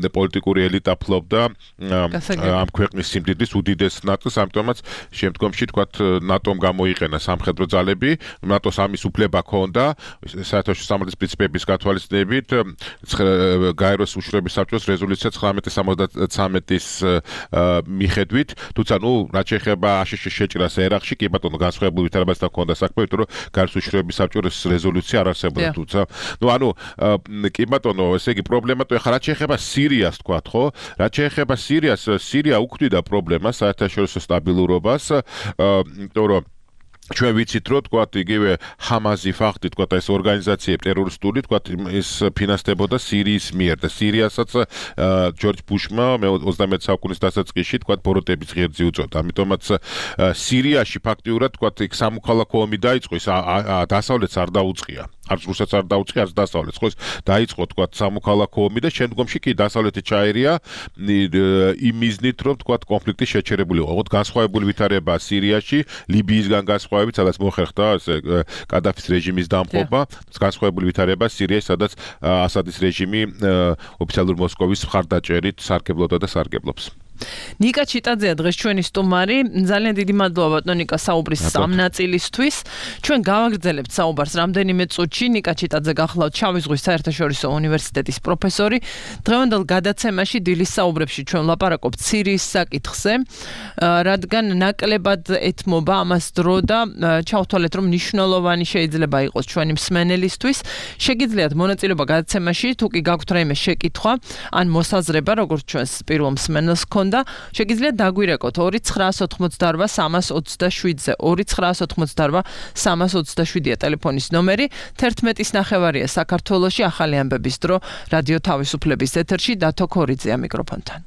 პოლიტიკური ელიტა ფლობდა ამ ქვეყნის სიმდიდრის უდიდეს ნაწილს, ამიტომაც შემდგომში თქვა ნატომ გამოიყენა სამხედრო ძალები, ნატოს ამის უფლება ჰქონდა, საერთაშორისო სამართლის პრინციპების გათვალისწინებით, გაეროს უშუალოების საბჭოს რეზოლუცია 1973-ის მიხედვით, თუმცა რაც შეეხება აშშ შეჭრას ერაყში, კი ბატონო განსხვავებული ვითარებასთან ჰქონდა საქმე, იმიტომ რომ გაეროს უშუალოების საბჭოს რეზოლუცია არ არსებობდა, თუმცა კი ბატონო, ესე იგი პრობლემა თუ ეხლა რაც შეეხება სირიას თქვათ, ხო? რაც შეეხება სირიას, სირია უქმნიდა პრობლემას საერთაშორისო სტაბილურობას, იმიტომ რომ ჩვენ ვიცით, რომ თქვათ იგივე ჰამაზი ფაქტი, თქვათ ეს ორგანიზაციები ტერორისტული, თქვათ ის ფინანსდებოდა სირიის მიერ და სირიასაც ჯორჯ ბუშმა 21 საუკუნის დასაწყისში თქვათ ბოროტების ღერძი უწოდა. ამიტომაც სირიაში ფაქტიურად თქვათ იქ სამოქალაქო ომი დაიწყო, ის დასავლეთს არ დაუწყია. არც რუსეთს არ დაუწყი, არც დასავლეთს. ხო, დაიწყო თქვა სამოქალაქო ომი და შემდგომში კი დასავლეთი ჩაერია იმ მიზნით, რომ თქვა კონფლიქტი შეჩერებული იყო. ოღონდ განსხვავებული ვითარებაა სირიაში, ლიბიისგან განსხვავებით, სადაც მოხერხდა კადაფის რეჟიმის დამხობა, განსხვავებული ვითარებაა სირიაში, სადაც ასადის რეჟიმი ოფიციალურ მოსკოვის მხარდაჭერით სარგებლობდა და სარგებლობს. ნიკა ჩიტაძეა დღეს ჩვენი სტუმარი. ძალიან დიდი მადლობა ბატონო ნიკა საუბრის სამ ნაწილისთვის. ჩვენ გავაგრძელებთ საუბარს რამდენიმე წუთში. ნიკა ჩიტაძე გახლავთ შავი ზღვის საერთაშორისო უნივერსიტეტის პროფესორი. დღევანდელ გადაცემაში დილის საუბრებში ჩვენ ვლაპარაკობთ სირიის საკითხზე, რადგან ნაკლებად ეთმობა ამას დრო და ჩავთვალეთ, რომ მნიშვნელოვანი შეიძლება იყოს ჩვენი მსმენელისთვის. შეგიძლიათ მონაწილეობა გადაცემაში, თუ კი გაქვთ რაიმე შეკითხვა ან მოსაზრება, როგორც ჩვენს პირველ მსმენელს და შეგიძლიათ დაგვირეკოთ 2988327-ზე 2988327-ია ტელეფონის ნომერი 11:09 საქართველოში ახალი ამბების დრო რადიო თავისუფლების ეთერში დათო ქორიძეა მიკროფონთან.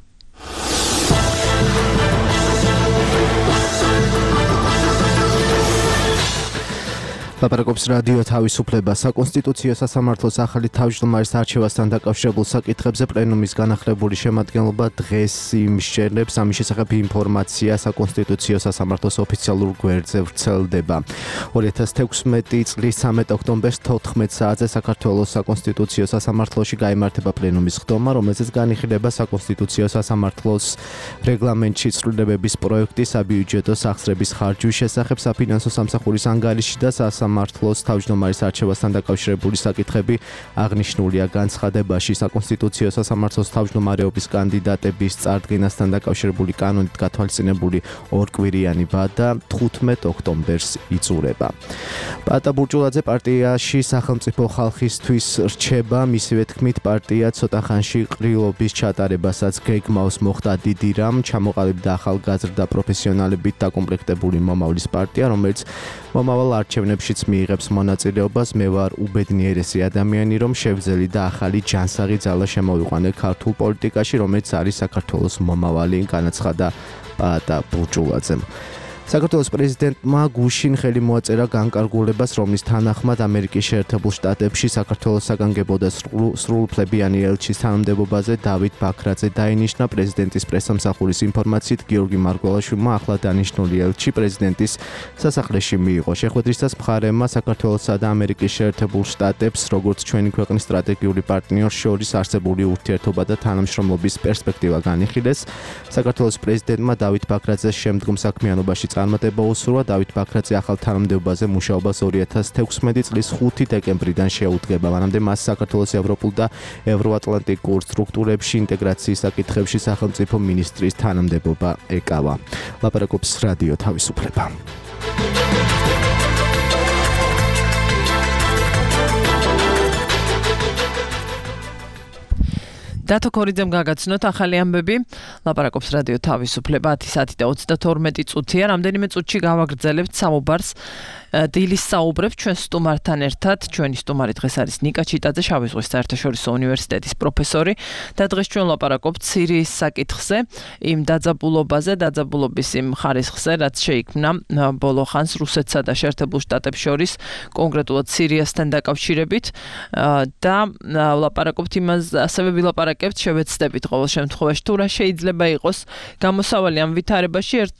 ლაპარაკობს რადიო თავისუფლება საკონსტიტუციო სასამართლოს ახალი თავმჯდომარის არჩევასთან დაკავშირებულ საკითხებზე პლენუმის განახლებული შემადგენლობა დღეს იმსჯელებს ამის შესახებ ინფორმაცია საკონსტიტუციო სასამართლოს ოფიციალურ გვერდზე ვრცელდება 2016 წლის 13 ოქტომბერს 14 საათზე საქართველოს საკონსტიტუციო სასამართლოში გაიმართება პლენუმის ხდომა რომელზეც განიხილება საკონსტიტუციო სასამართლოს რეგლამენტში ცვლილებების პროექტი საბიუჯეტო სახსრების ხარჯვის შესახებ საფინანსო სამსახურის ანგარიში და სამართლოს თავმჯდომარის არჩევასთან დაკავშირებული საკითხები აღნიშნულია განცხადებაში საკონსტიტუციო სასამართლოს თავმჯდომარეობის კანდიდატების წარდგენასთან დაკავშირებული კანონით გათვალისწინებული ორკვირიანი ვადა 15 ოქტომბერს იწურება. პატა ბურჭულაძე პარტიაში სახელმწიფო ხალხისთვის რჩება, მისივე თქმით პარტია ცოტა ხანში ყრილობის ჩატარებასაც გეგმავს მოხდა დიდი რამ, ჩამოყალიბდა ახალგაზრდა პროფესიონალებით დაკომპლექტებული მომავლის პარტია, რომელიც მომავალ არჩევნებშიც მიიღებს მონაწილეობას. მე ვარ უბედნიერესი ადამიანი, რომ შევძელი და ახალი ჯანსაღი ძალა შემოვიყვანე ქართულ პოლიტიკაში, რომელიც არის საქართველოს მომავალი, განაცხადა პატა ბურჭულაძემ. საქართველოს პრეზიდენტმა გუშინ ხელი მოაწერა განკარგულებას, რომლის თანახმად ამერიკის შეერთებულ შტატებში საქართველოს საგანგებო და სრულუფლებიანი ელჩის თანამდებობაზე დავით ბაქრაძე დაინიშნა. პრეზიდენტის პრესსამსახურის ინფორმაციით გიორგი მარგველაშვილმა ახლა დანიშნული ელჩი პრეზიდენტის სასახლეში მიიღო. შეხვედრისას მხარემა საქართველოსა და ამერიკის შეერთებულ შტატებს, როგორც ჩვენი ქვეყნის სტრატეგიული პარტნიორს შორის არსებული ურთიერთობა და თანამშრომლობის პერსპექტივა განიხილეს. საქართველოს პრეზიდენტმა დავით ბაქრაძეს შემდგომ საქმიანობაში წარმატება უსურვა. დავით ბაქრაძე ახალ თანამდებობაზე მუშაობას 2016 წლის 5 დეკემბრიდან შეუდგება. მანამდე მას საქართველოს ევროპულ და ევროატლანტიკურ სტრუქტურებში ინტეგრაციის საკითხებში სახელმწიფო მინისტრის თანამდებობა ეკავა. ლაპარაკობს რადიო თავისუფლება. დათო ქორიძემ გაგაცნოთ ახალი ამბები. ლაპარაკობს რადიო თავისუფლება 10:22 წუთია. რამდენიმე წუთში გავაგრძელებთ საუბარს დილის საუბრებს ჩვენ სტუმართან ერთად. ჩვენი სტუმარი დღეს არის ნიკა ჩიტაძე, შავი ზღვის საერთაშორისო უნივერსიტეტის პროფესორი და დღეს ჩვენ ვლაპარაკობთ სირიის საკითხზე, იმ დაძაბულობაზე, დაძაბულობის იმ ხარისხზე, რაც შეიქმნა ბოლო ხანს რუსეთსა და შეერთებულ შტატებს შორის, კონკრეტულად სირიასთან დაკავშირებით და ვლაპარაკობთ იმას, ასევე ვილაპარაკებთ, შევეცდებით ყოველ შემთხვევაში, თუ რა შეიძლება იყოს გამოსავალი ამ ვითარებაში. ერთ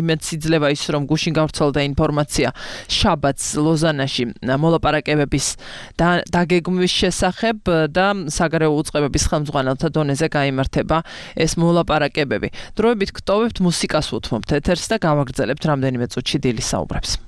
იმედს იძლევა ის, რომ გუშინ გავრცელდა ინფორმაცია შაბათს ლოზანაში მოლაპარაკებების დაგეგმვის შესახებ და საგარეო უწყებების ხელმძღვანელთა დონეზე გაიმართება ეს მოლაპარაკებები. დროებით გტოვებთ მუსიკას უთმობთ ეთერს და გავაგრძელებთ რამდენიმე წუთში დილის საუბრებს.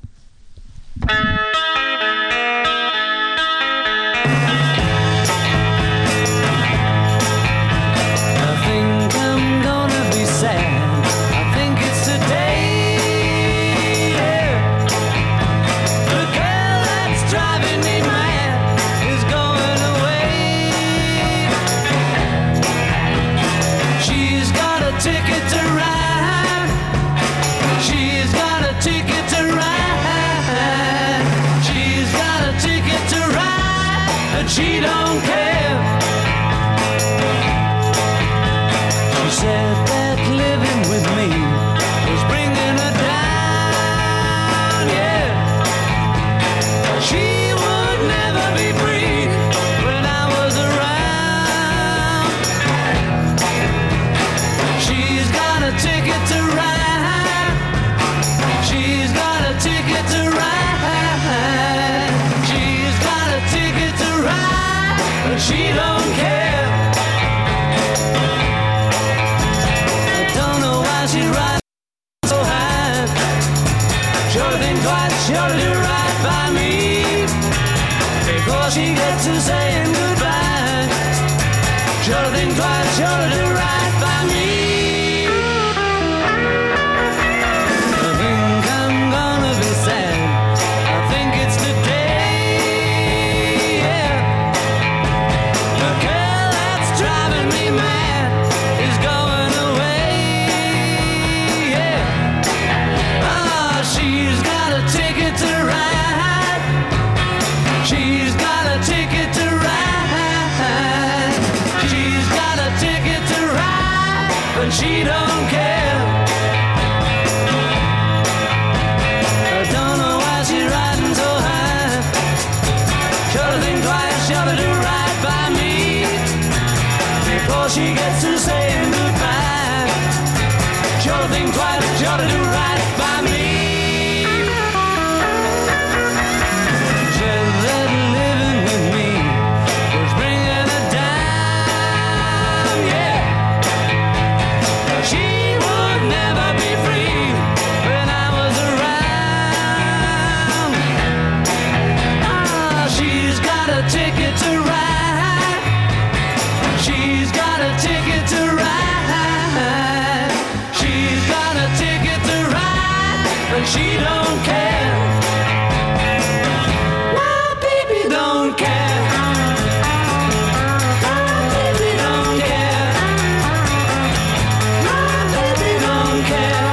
She but she don't care. I don't know why she's riding so high. Sure think twice, sure to do right by me before she gets to saying goodbye. Sure think twice, sure to do right by me. I think I'm gonna be sad. I think it's the day, yeah. The girl that's driving me mad is going away, yeah. Ah, she's got a ticket to ride. She's got a ticket to ride. She's got a ticket to ride, but she don't care. I don't know why she's riding so high. Sure to think twice, sure to do right by me before she gets to saying goodbye. Sure to think twice, sure to do right by me. Just that living with me was bringing her down, yeah. She would never be free when I was around. Ah, she's got a ticket to ride. She's got a ticket to ride. She's got a ticket to ride, but she don't care. My baby don't care. My baby don't care. My baby don't care.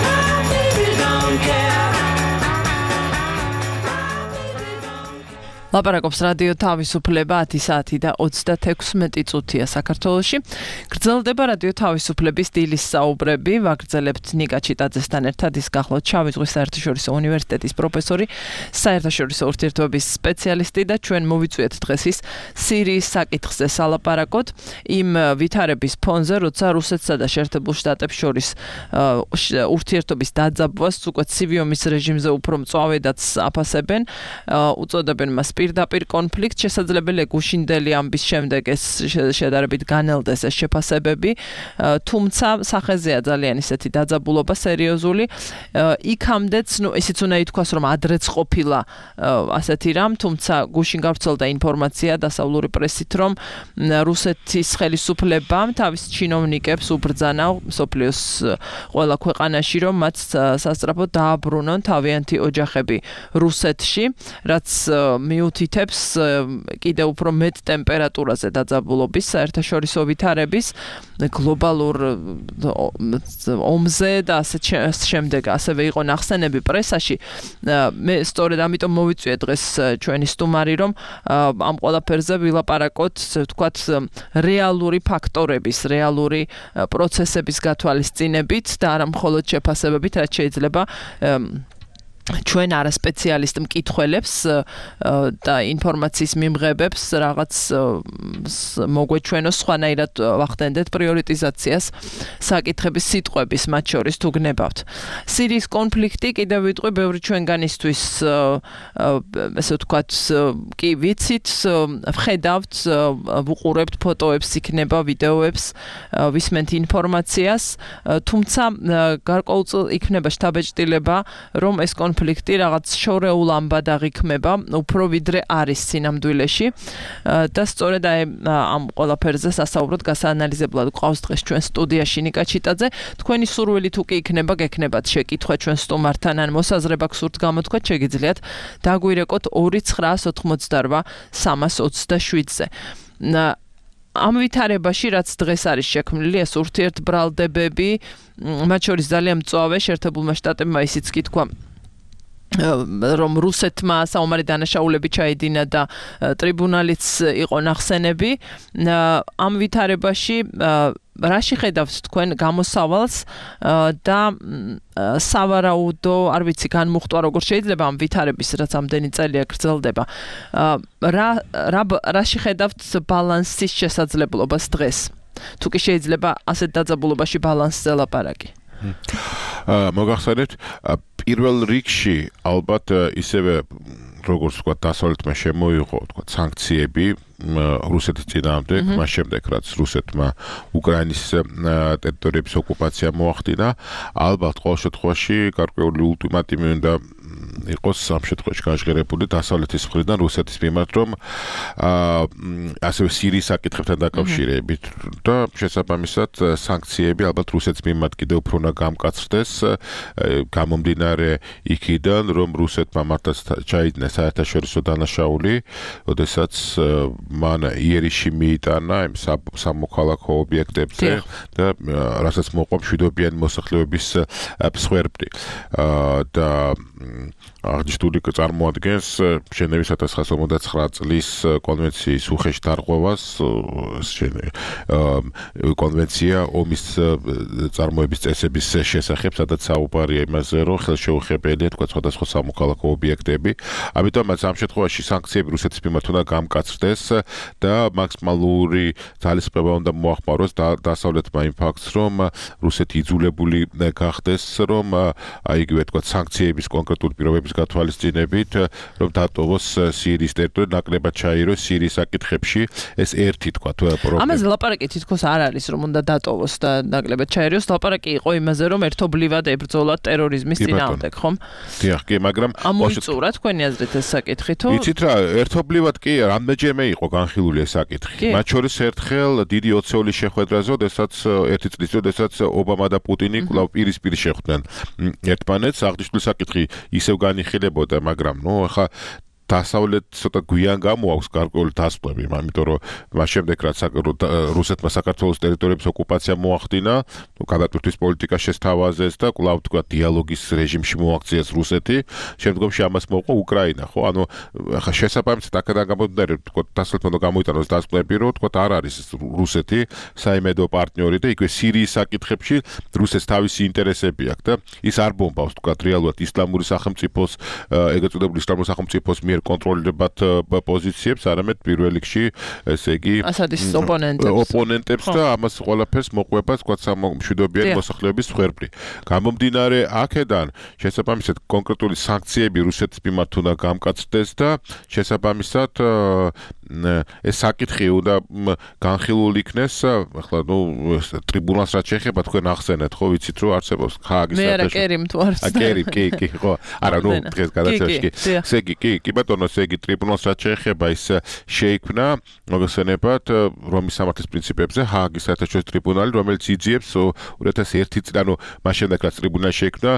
My baby don't care. ლაპარაკობს რადიო თავისუფლება 10 საათი და 36 წუთია საქართველოში. გრძელდება რადიო თავისუფლების დილის საუბრები. ვაგრძელებთ ნიკა ჩიტაძესთან ერთად. ის გახლავთ შავი ზღვის საერთაშორისო უნივერსიტეტის პროფესორი, საერთაშორისო ურთიერთობების სპეციალისტი და ჩვენ მოვიწვიეთ დღეს ის სირიის საკითხზე სალაპარაკოთ. იმ ვითარების ფონზე, როცა რუსეთსა და შეერთებულ შტატებს შორის ურთიერთობის დაძაბვას უკვე ცივი ომის რეჟიმზე უფრო მწვავედაც აფასებენ, უწოდებენ მას პირდაპირ კონფლიქტ, შესაძლებელია გუშინდელი ამბის შემდეგ ეს შედარებით განელდეს ეს შეფასებები, თუმცა სახეზეა ძალიან ისეთი დაძაბულობა სერიოზული. იქამდეც, ისიც უნდა ითქვას, რომ ადრეც ყოფილა ასეთი რამ, თუმცა გუშინ გავრცელდა ინფორმაცია დასავლური პრესით, რომ რუსეთის ხელისუფლებამ თავის ჩინოვნიკებს უბრძანა მსოფლიოს ყველა ქვეყანაში, რომ მათ სასწრაფოდ დააბრუნონ თავიანთი ოჯახები რუსეთში, რაც მიუთითებს კიდევ უფრო მეტ ტემპერატურაზე დაძაბულობის საერთაშორისო ვითარების გლობალურ ომზე და ასე შემდეგ ასევე იყო ნახსენები პრესაში. მე სწორედ ამიტომ მოვიწვიე დღეს ჩვენი სტუმარი, რომ ამ ყველაფერზე ვილაპარაკოთ, ვთქვათ, რეალური ფაქტორების, რეალური პროცესების გათვალისწინებით და არა მხოლოდ შეფასებებით, რაც შეიძლება ჩვენ არასპეციალისტ მკითხველებს და ინფორმაციის მიმღებებს რაღაც მოგვეჩვენოს სხვანაირად ვახდენდეთ პრიორიტიზაციას საკითხების სიტყვების მათ შორის თუ გნებავთ. სირიის კონფლიქტი კიდევ ვიტყვი ბევრი ჩვენგანისთვის ესე ვთქვათ კი ვიცით, ვხედავთ, ვუყურებთ ფოტოებს, იქნება ვიდეოებს, ვისმენთ ინფორმაციას, თუმცა გარკვეულწილად იქნება შთაბეჭდილება, რომ ეს კონფლიქტი რაღაც შორეულ ამბად აღიქმება, უფრო ვიდრე არის სინამდვილეში და სწორედ ამ ყველაფერზე სასაუბროდ გასაანალიზებლად გვყავს დღეს ჩვენ სტუდიაში ნიკა ჩიტაძე. თქვენი სურვილი თუ კი იქნება, გექნებათ შეკითხვა ჩვენ სტუმართან ან მოსაზრება გსურთ გამოთქვათ, შეგიძლიათ დაგვირეკოთ 2988 327-ზე. ამ ვითარებაში, რაც დღეს არის შექმნილი, ეს ურთიერთბრალდებები, მათ შორის ძალიან მწვავე შეერთებულმა შტატებმა ისიც კი თქვა, რომ რუსეთმა საომარი დანაშაულები ჩაიდინა და ტრიბუნალიც იყო ნახსენები. ამ ვითარებაში რაში ხედავთ თქვენ გამოსავალს და სავარაუდო, არ ვიცი, განმუხტვა როგორ შეიძლება ამ ვითარების, რაც ამდენი წელია გრძელდება. რაში ხედავთ ბალანსის შესაძლებლობას დღეს? თუ კი შეიძლება ასეთ დაძაბულობაში ბალანსზე ლაპარაკი. მოგახსენებთ, პირველ რიგში ალბათ ისევე როგორც თქვა დასავლეთმა შემოიღო თქვა სანქციები რუსეთის წინააღმდეგ, მას შემდეგ რაც რუსეთმა უკრაინის ტერიტორიების ოკუპაცია მოახდინა, ალბათ ყოველ შემთხვევაში გარკვეული ულტიმატუმი უნდა იყოს ამ შემთხვევაში გაჟღერებული დასავლეთის მხრიდან რუსეთის მიმართ, რომ ასევე სირიის საკითხებთან დაკავშირებით და შესაბამისად სანქციები ალბათ რუსეთის მიმართ კიდევ უფრო უნდა გამკაცრდეს, გამომდინარე იქიდან, რომ რუსეთმა მართლაც ჩაიდინა საერთაშორისო დანაშაული, როდესაც მან იერიში მიიტანა იმ სამოქალაქო ობიექტებზე და რასაც მოყვა მშვიდობიანი მოსახლეობის მსხვერპლი და აღნიშნული წარმოადგენს ჟენევის 1959 წლის კონვენციის უხეშ დარღვევას კონვენცია ომის წარმოების წესების შესახებ, სადაც საუბარია იმაზე, რომ ხელშეუხებელია თქვა სხვადასხვა სამოქალაქო ობიექტები. ამიტომაც ამ შემთხვევაში სანქციები რუსეთის მიმართ უნდა გამკაცრდეს და მაქსიმალური ძალისხმევა უნდა მოახმაროს დასავლეთმა იმ ფაქტს, რომ რუსეთი იძულებული გახდეს, რომ იგივე თქვა სანქციების კონკრეტული პირობების გათვალისწინებით, რომ დატოვოს სირიის ტერიტორია, ნაკლებად ჩაიროს სირიის საკითხებში, ეს ერთი თქვა პრობლემა. ამაზე ლაპარაკი თითქოს არ არის, რომ უნდა დატოვოს და ნაკლებად ჩაიროს, ლაპარაკი იყო იმაზე, რომ ერთობლივად ებრძოლათ ტერორიზმის წინააღმდეგ, ხომ? დიახ, კი, მაგრამ ამოიწურა თქვენი აზრით ეს საკითხი თუ? იცით რა, ერთობლივად კი, რამდენჯერმე იყო განხილული ეს საკითხი. მათ შორის ერთხელ დიდი ოცეულის შეხვედრაზე, როდესაც ერთი წლის წინ, როდესაც ობამა და პუტინი კვლავ პირისპირ შეხვდნენ ერთმანეთს, აღნიშნული საკითხი ისევ განიხილებოდა, მაგრამ ახლა დასავლეთ ცოტა გვიან გამოაქვს გარკვეული დასკვნები, ამიტომ რომ მას შემდეგ რაც რუსეთმა საქართველოს ტერიტორიების ოკუპაცია მოახდინა, გადატვირთვის პოლიტიკა შესთავაზეს და კვლავ თქვა დიალოგის რეჟიმში მოაქციეს რუსეთი, შემდგომში ამას მოყვა უკრაინა, ხო? ანუ ახლა შესაბამისად აქედან გამომდინარე, თქვა დასავლეთმა უნდა გამოიტანოს დასკვნები, რომ თქვა არ არის რუსეთი საიმედო პარტნიორი და იქვე სირიის საკითხებში რუსეთს თავისი ინტერესები აქვს და ის არ ბომბავს თქვა რეალურად ისლამური სახელმწიფოს, ეგრეთ წოდებული ისლამური სახელმწიფოს მიერ კონტროლირებად პოზიციებს, არამედ პირველ რიგში, ესე იგი, ასადის ოპონენტებს და ამას ყველაფერს მოყვება თქვა მშვიდობიანი მოსახლეობის მსხვერპლი. გამომდინარე აქედან, შესაბამისად კონკრეტული სანქციები რუსეთის მიმართ უნდა გამკაცრდეს და შესაბამისად ეს საკითხი უნდა განხილული იქნეს, ახლა ტრიბუნალს რაც შეეხება თქვენ ახსენეთ, ხო, ვიცით რომ არსებობს ჰააგის მე არა კერიმ თუ არ ვცდები. კი, ხო. არა, დღეს გადაცემაში. ესე იგი, ბატონო, ესე იგი ტრიბუნალს რაც შეეხება ის შეიქმნა, მოგესწრებათ, რომის სამართლის პრინციპებზე ჰააგის საერთაშორისო ტრიბუნალი, რომელიც იძიებს 2001 წლიდან, მას შემდეგ რაც ტრიბუნალი შეიქმნა,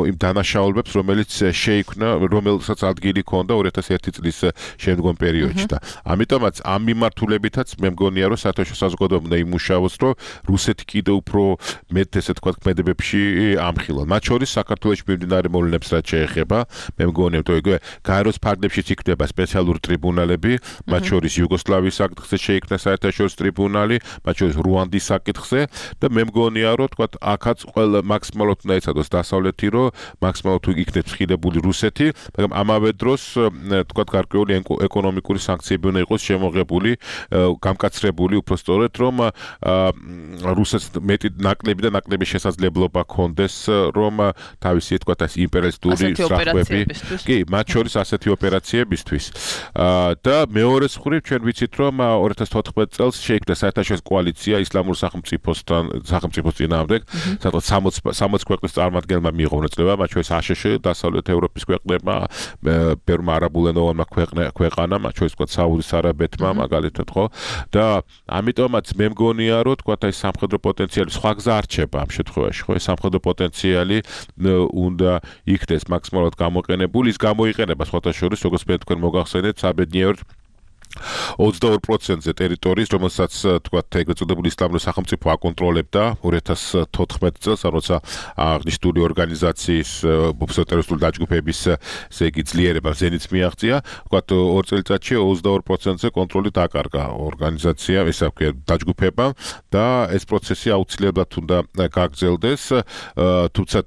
იმ დანაშაულებებს, რომელიც შეიქმნა, რომელსაც ადგილი ჰქონდა 2001 წლის შემდგომ პერიოდში და ამიტომაც ამ მიმართულებითაც მე მგონია, რომ საერთაშორისო საზოგადოება უნდა იმუშაოს, რომ რუსეთი კიდევ უფრო მეტ ესე თქვა ქმედებებში ამხილონ. მათ შორის საქართველოში მიმდინარე მოვლენებს რაც შეეხება, მე მგონია, რომ იგივე გაეროს ფარგლებშიც იქნება სპეციალური ტრიბუნალები, მათ შორის იუგოსლავიის საკითხზე შეიქმნა საერთაშორისო ტრიბუნალი, მათ შორის რუანდის საკითხზე და მე მგონია, რომ თქვა აქაც ყველა მაქსიმალურად უნდა ეცადოს დასავლეთი, რომ მაქსიმალურად იქნებს ხილებული რუსეთი, მაგრამ ამავე დროს თქვა გარკვეული ეკონომიკური სანქციები უნდა იყოს შემოღებული, გამკაცრებული, უფრო სწორედ, რომ რუსეთს მეტი ნაკლები და ნაკლები შესაძლებლობა ჰქონდეს, რომ თავისი თქვა ეს იმპერიალისტური სწრაფები, კი, მათ შორის ასეთი ოპერაციებისთვის. და მეორე მხრივ ჩვენ ვიცით, რომ 2014 წელს შეიქმნა საერთაშორისო კოალიცია ისლამურ სახელმწიფოს წინააღმდეგ, სადაც 60 ქვეყნის წარმომადგენელმა მიიღო მონაწილეობა, მათ შორის აშშ, დასავლეთ ევროპის ქვეყნებმა, ბევრმა არაბულენოვანმა ქვეყანამ, მათ შორის თქვა საუდის არაბეთმა, მაგალითად, ხო? და ამიტომაც მე მგონია, რომ თქვა ეს სამხედრო პოტენციალი სხვა გზა არ რჩება ამ შემთხვევაში, ხო? ეს სამხედრო პოტენციალი უნდა იქნეს მაქსიმალურად გამოყენებული, ის გამოიყენება სხვათა შორის, როგორც მე თქვენ მოგახსენეთ, საბედნიეროდ 22%-ზე ტერიტორიის, რომელსაც თქვა ეგრეთ წოდებული ისლამური სახელმწიფო აკონტროლებდა 2014 წელს, როცა აღნიშნული ორგანიზაციის ტერორისტული დაჯგუფების ესე იგი ძლიერება ზენიტს მიაღწია, თქვა 2 წელიწადში 22%-ზე კონტროლი დაკარგა ორგანიზაციამ, ესე ვქვია, დაჯგუფებამ და ეს პროცესი აუცილებლად უნდა გაგრძელდეს, თუმცა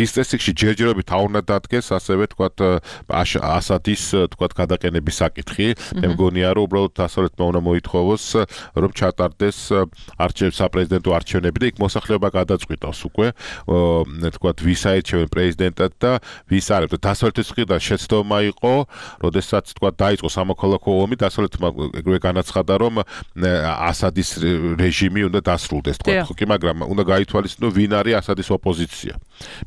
დღის წესრიგში ჯერჯერობით არ უნდა დადგეს ასევე თქვათ ასადის თქვათ გადაყენების საკითხი. მე მგონია რომ უბრალოდ დასავლეთმა უნდა მოითხოვოს რომ ჩატარდეს საპრეზიდენტო არჩევნები და იქ მოსახლეობა გადაწყვიტავს უკვე თქვათ ვის აირჩევენ პრეზიდენტად და ვის არ. დასავლეთის მხრიდან შეცდომა იყო, როდესაც თქვათ დაიწყო სამოქალაქო ომი, დასავლეთმა ეგრევე განაცხადა რომ ასადის რეჟიმი უნდა დასრულდეს თქვათ ხო, მაგრამ უნდა გაითვალისწინოს ვინ არის ასადის ოპოზიცია.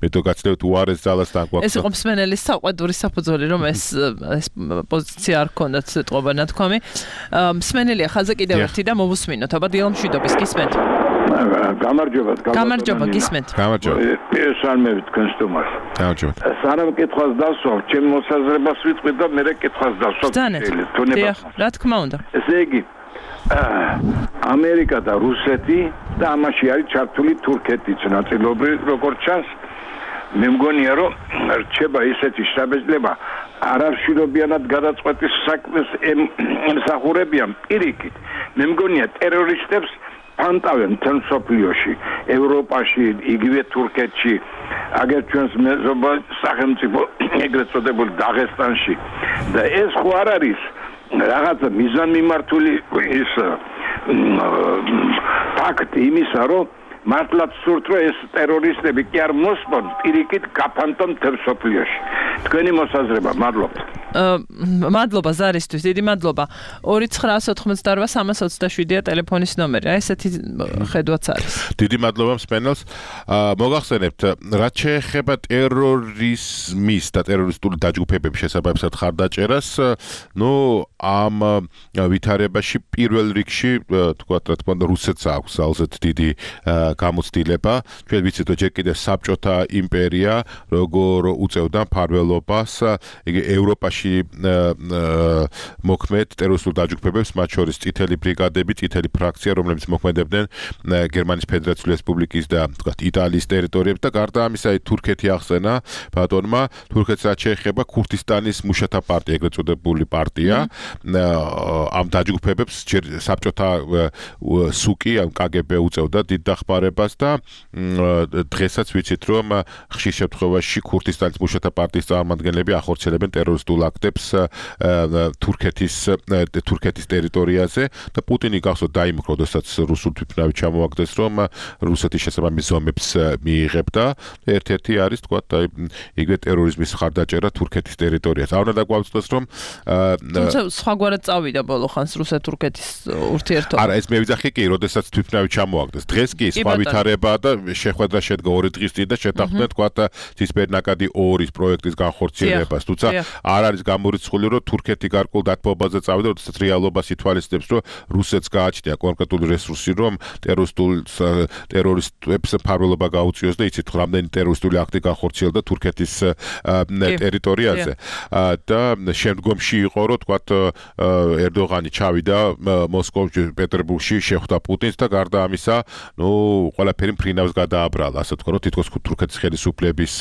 მე თვითონ გაცნევთ უარეს ძალას და გვაქვს. ეს იყო მსმენელის საყვედური საფუძველი, რომ ეს პოზიცია არ ქონდათ სიტყვა ნათქვამი. მსმენელია ხაზზე კიდევ ერთი და მოვუსმინოთ. აბა დილამშვიდობის გისმენთ. გამარჯობა გისმენთ. გამარჯობა. ესალმებით თქვენ სტუმარს. გამარჯობა. სანამ კითხვას დასვავ, ჩემ მოსაზრებას ვიტყვი და მე კითხვას დასვავ. დიახ, რა თქმა უნდა. ესე იგი ამერიკა და რუსეთი და ამაში არის ჩართული თურქეთიც ნაწილობრივ როგორც ჩანს. მე მგონია რომ რჩება ისეთი შთაბეჭდილება არარშილობიანად გადაწყვეტის საქმეს ემსახურებიან პირიქით. მე მგონია ტერორისტებს ფანტავენ მთელ მსოფლიოში, ევროპაში, იგივე თურქეთში, აგერ ჩვენს მეზობელ სახელმწიფო ეგრეთ წოდებულ დაღესტანში და ეს ხო არ არის რაღაცა მიზანმიმართული ის ფაქტი იმისა, რომ მართლაც სურთ რომ ეს ტერორისტები კი არ მოსპონ პირიქით გაფანტონ მთელ მსოფლიოში. თქვენი მოსაზრება, მადლობთ. მადლობა ზარისთვის, დიდი მადლობა. 2988327-ია ტელეფონის ნომერი. აი ესეთი ხედვაც არის. დიდი მადლობა მსმენელს. მოგახსენებთ, რაც შეეხება ტერორიზმის და ტერორისტული დაჯგუფებების შესაბამისად ხარდაჭერას, ამ ვითარებაში პირველ რიგში, თქვათ, რა თქმა უნდა, რუსეთს აქვს ძალზედ დიდი გამოცდილება. ჩვენ ვიცით, რომ ჯერ კიდევ საბჭოთა იმპერია როგორ უწევდა მფარველობას ევროპაში მოქმედ ტერორისტულ დაჯგუფებებს, მათ შორის წითელი ბრიგადები, წითელი ფრაქცია, რომლებიც მოქმედებდნენ გერმანიის ფედერაციული რესპუბლიკის და თქვათ იტალიის ტერიტორიებზე და გარდა ამისა თურქეთი ახსენა ბატონმა. თურქეთს რაც შეეხება ქურთისტანის მუშათა პარტია, ეგრეთ წოდებული პარტია, ამ დაჯგუფებებს საბჭოთა სუკი, ამ KGB უწევდა დიდ დახმარებას და დღესაც ვიცით, რომ ხშირ შემთხვევაში ქურთისტანის მუშათა პარტიის წარმომადგენლები ახორციელებენ ტერორისტულ აქტებს თურქეთის ტერიტორიაზე და პუტინი გახსოვთ დაიმუქრა, როდესაც რუსულ თვითმფრინავი ჩამოაგდეს, რომ რუსეთის შესაბამის ზომებს მიიღებდა. ერთ-ერთი არის თქვათ იგივე ტერორიზმის ხარდაჭერა თურქეთის ტერიტორიაზე. არ უნდა დაგვაუწყდეს, რომ თუმცა სხვაგვარად წავიდა ბოლო ხანს რუსეთ-თურქეთის ურთიერთობა. არა, ეს მე ვიძახი კი, როდესაც თვითმფრინავი ჩამოაგდეს. დღეს კი სხვა ვითარებაა და შეხვედრა შედგა 2 დღის წინ და შეთანხმდნენ თქვათ ცისფერნაკადი 2-ის პროექტის განხორციელებას. თუმცა არ არის გამორიცხული, რომ თურქეთი გარკვეულ დათბობაზე წავიდა, როდესაც რეალობას ითვალისწინებს, რომ რუსეთს გააჩნია კონკრეტული რესურსი, რომ ტერორისტებს მფარველობა გაუწიოს და იცით, რამდენი ტერორისტული აქტი განხორციელდა თურქეთის ტერიტორიაზე. და შემდგომში იყო, რომ თქვათ ერდოღანი ჩავიდა მოსკოვში, პეტერბურგში, შეხვდა პუტინს და გარდა ამისა, ყველაფერი მფრინავს გადააბრალა, ასე თქვა, რომ თითქოს თურქეთის ხელისუფლების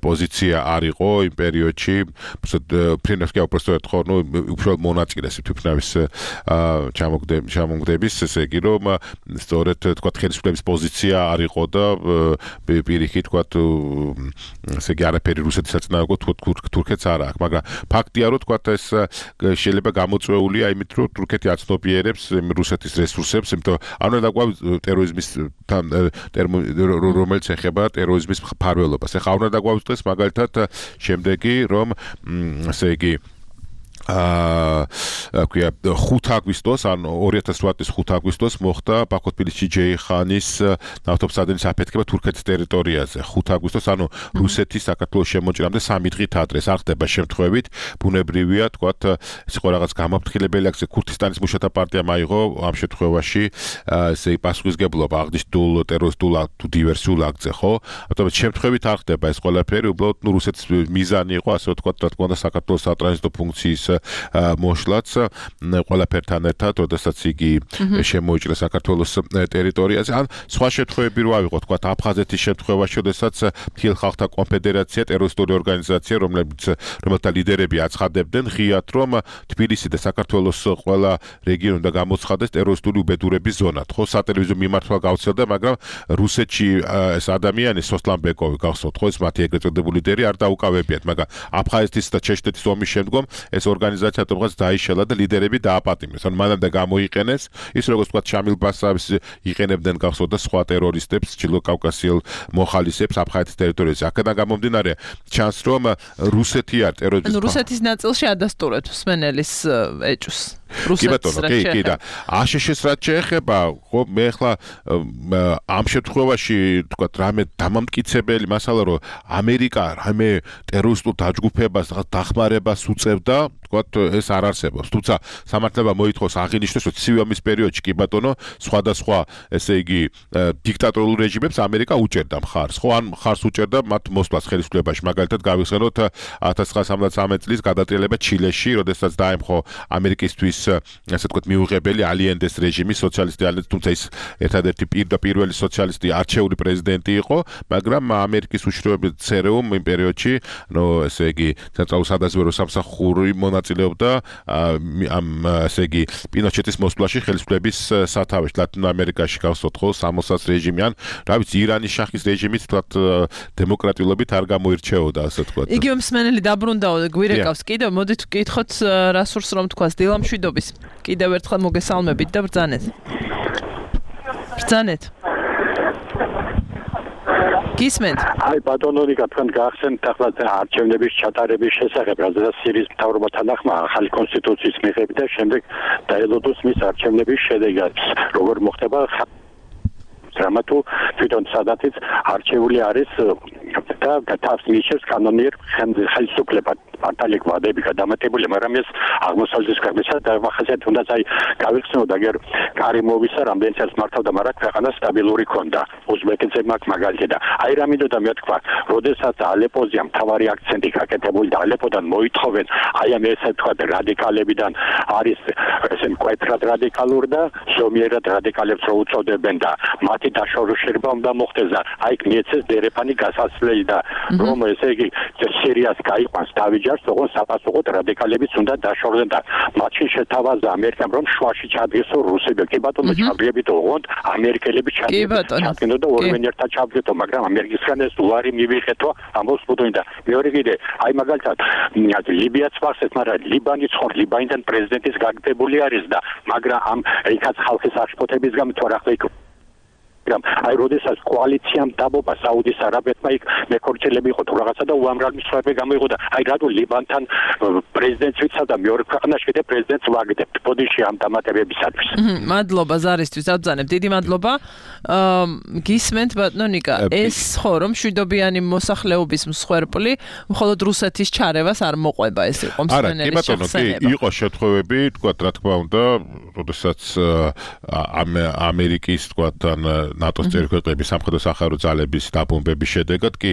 პოზიცია არ იყო იმ პერიოდში, მფრინავს კი უბრალოდ ხო, უშუალოდ მონაწილეს თვითმფრინავის ჩამოგდების, ესე იგი, რომ სწორედ თქვა ხელისუფლების პოზიცია არ იყო და პირიქით თქვა, ესე იგი, არაფერი რუსეთის საწინააღმდეგო თურქეთს არ აქვს, მაგრამ ფაქტია, რომ თქვა ეს შეიძლება გამოწვეულია იმით, რომ თურქეთი აცნობიერებს რუსეთის რესურსებს, იმიტომ არ უნდა დაგვაუწყდეს ტერორიზმის რომელიც ეხება ტერორიზმის მფარველობას. ეხლა არ უნდა დაგვაუწყდეს მაგალითად შემდეგი, რომ ესე იგი 5 აგვისტოს, ან 2008 წლის 5 აგვისტოს მოხდა ბაქო-თბილისში ჯეიხანის ნავთობსადენის აფეთქება თურქეთის ტერიტორიაზე. 5 აგვისტოს, ანუ რუსეთის საქართველოს შემოჭრამდე 3 დღით ადრე. არ ხდება შემთხვევით, ბუნებრივია, თქვათ, ეს იყო რაღაც გამაფრთხილებელი აქცია, ქურთისტანის მუშათა პარტიამ აიღო ამ შემთხვევაში ესე პასუხისგებლობა აღნიშნულ ტერორისტულ თუ დივერსიულ აქტზე, ხო? ამიტომ შემთხვევით არ ხდება ეს ყველაფერი, უბრალოდ რუსეთის მიზანი იყო, ასე ვთქვათ, რა თქმა უნდა, საქართველოს სატრანზიტო ფუნქციის მოშლაც ყველაფერთან ერთად, როდესაც იგი შემოიჭრა საქართველოს ტერიტორიაზე. ან სხვა შემთხვევები რო ავიღოთ, თქვა აფხაზეთის შემთხვევაში, როდესაც მთელ ხალხთა კონფედერაცია ტერორისტული ორგანიზაცია, რომელთა ლიდერები აცხადებდნენ ღიად, რომ თბილისი და საქართველოს ყველა რეგიონი უნდა გამოცხადდეს ტერორისტული უბედურების ზონად. ხო, სატელევიზიო მიმართვა გავრცელდა, მაგრამ რუსეთში ეს ადამიანი სოსლან ბეკოვი გახსოვთ, ხო, ეს მათი ეგრეთ წოდებული ლიდერი არ დაუკავებიათ, მაგრამ აფხაზეთის და ჩეჩნეთის ომის შემდგომ ეს ორგანიზაცია თვითონაც დაიშალა და ლიდერები დააპატიმრეს. ან მანამდე გამოიყენეს ის როგორც თქვა შამილ ბასავის იყენებდნენ გახსოვთ და სხვა ტერორისტებს, ჩრდილო კავკასიელ მოხალისეებს აფხაზეთის ტერიტორიაზე. აქედან გამომდინარე ჩანს, რომ რუსეთი არ ტერორისტული ანუ რუსეთის ნაწილში ადასტურეთ მსმენელის ეჭვს. კი ბატონო, კი და აშშ-ს რაც შეეხება, ხო, მე ახლა ამ შემთხვევაში თქვა რამე დამამტკიცებელი მასალა, რომ ამერიკა რამე ტერორისტულ დაჯგუფებას დახმარებას უწევდა, თქვა ეს არ არსებობს. თუმცა სამართლებმა მოითხოვს აღინიშნოს, რომ ცივი ომის პერიოდში კი ბატონო, სხვადასხვა ესე იგი დიქტატორულ რეჟიმებს ამერიკა უჭერდა მხარს. ხო, ან მხარს უჭერდა მათ მოსვლას ხელისუფლებაში. მაგალითად, გავიხსენოთ 1973 წლის გადატრიალება ჩილეში, როდესაც დაემხო ამერიკისთვის ასე ვთქვათ მიუღებელი ალიენდეს რეჟიმი, სოციალისტი ალიენდეს, თუმცა ის ერთადერთი პირველი სოციალისტი არჩეული პრეზიდენტი იყო, მაგრამ ამერიკის უშიშროების ЦРУ იმ პერიოდში, ნუ ესე იგი ცენტრალურ სადაზვერვო სამსახური მონაწილეობდა ამ ესე იგი პინოჩეტის მოსვლაში ხელისუფლების სათავეში ლათინურ ამერიკაში გახსოვთ ხო, სამოსას რეჟიმი ან რა ვიცი ირანის შაჰის რეჟიმით თქვათ დემოკრატიულობით არ გამოირჩეოდა, ასე ვთქვათ. იგივე მსმენელი დაბრუნდაო და გვირეკავს კიდევ, მოდით ვკითხოთ რა სურს რომ თქვას დილამშვიდობის. კიდევ ერთხელ მოგესალმებით და ბრძანეთ. გისმენთ? აი ბატონონიკა თქვენ გაახსენეთ ახლა არჩევნების ჩატარების შესახებ, რადგან სირიის მთავრობასთან ახმა ახალი კონსტიტუციის მიღებით და შემდეგ დაელოდოს მის არჩევნების შედეგად. როგორ მოხდება რამათუ თვითონ სადაც არჩეული არის და თავს მიჩნევს კანონიერ ხელისუფლება. პარტიელი გვადები გადამეტებული, მაგრამ ეს აღმოსავლეთის ქვეყნისა და ახასიათებს უნდა აი გავიხსენოთ, აგერ კარიმოვისა რამდენიც მართავდა, მაგრამ ქვეყანა სტაბილური ქონდა. უზბეკეთზე მაგ მაგალითი და აი რა მინდოდა მე თქვა, როდესაც ალეპოზე მთავარი აქცენტი გაკეთებული და ალეპოდან მოითხოვენ, აი ამ ესე თქვა რადიკალებიდან არის ესე მკვეთრად რადიკალური და ზომიერად რადიკალებს რო უწოდებენ და მათი დაშორება უნდა მოხდეს და აი მიეცეს დერეფანი გასასვლელი და რომ ესე იგი სირიას გაიყვანს დავიჯარს, ოღონდ საპასუხოდ რადიკალებიც უნდა დაშორდნენ და მათში შეთავაზა ამერიკამ რომ შუაში ჩადგესო რუსები. კი ბატონო, ჩავდიებით ოღონდ ამერიკელები ჩადგინო და ორმენ ერთად ჩავდგეთო, მაგრამ ამერიკისგან ეს უარი მივიღეთო ამბობს ბუდონი და მეორე კიდე აი მაგალითად ლიბიაც ვახსენეთ, მაგრამ ლიბანის ხარ ლიბანიდან პრეზიდენტის გაგდებული არის და მაგრამ ამ იქაც ხალხის აღშფოთების გამო თუ რა ხდება აი როდესაც კოალიციამ დაბობა საუდის არაბეთმა იქ მეკორჩელები იყო თუ რაღაცა და უამრავი მსხვერპლი გამოიღო და აი რატო ლიბანთან პრეზიდენტს ვიცავდა მეორე ქვეყანაში კიდე პრეზიდენტს ვაგდებთ ბოდიში ამ დამატებებისათვის. მადლობა ზარისთვის, აბძანებ, დიდი მადლობა. გისმენთ ბატონიკა, ეს ხო რომ მშვიდობიანი მოსახლეობის მსხვერპლი მხოლოდ რუსეთის ჩარევას არ მოყვება, ეს იყო მსმენელის შეხსენება. არა, კი ბატონო, კი იყო შემთხვევები, თქვა რა თქმა უნდა, როდესაც ამერიკის თქვა თან ნატოს წევრი ქვეყნების სამხედრო სახარო ძალების დაბომბების შედეგად კი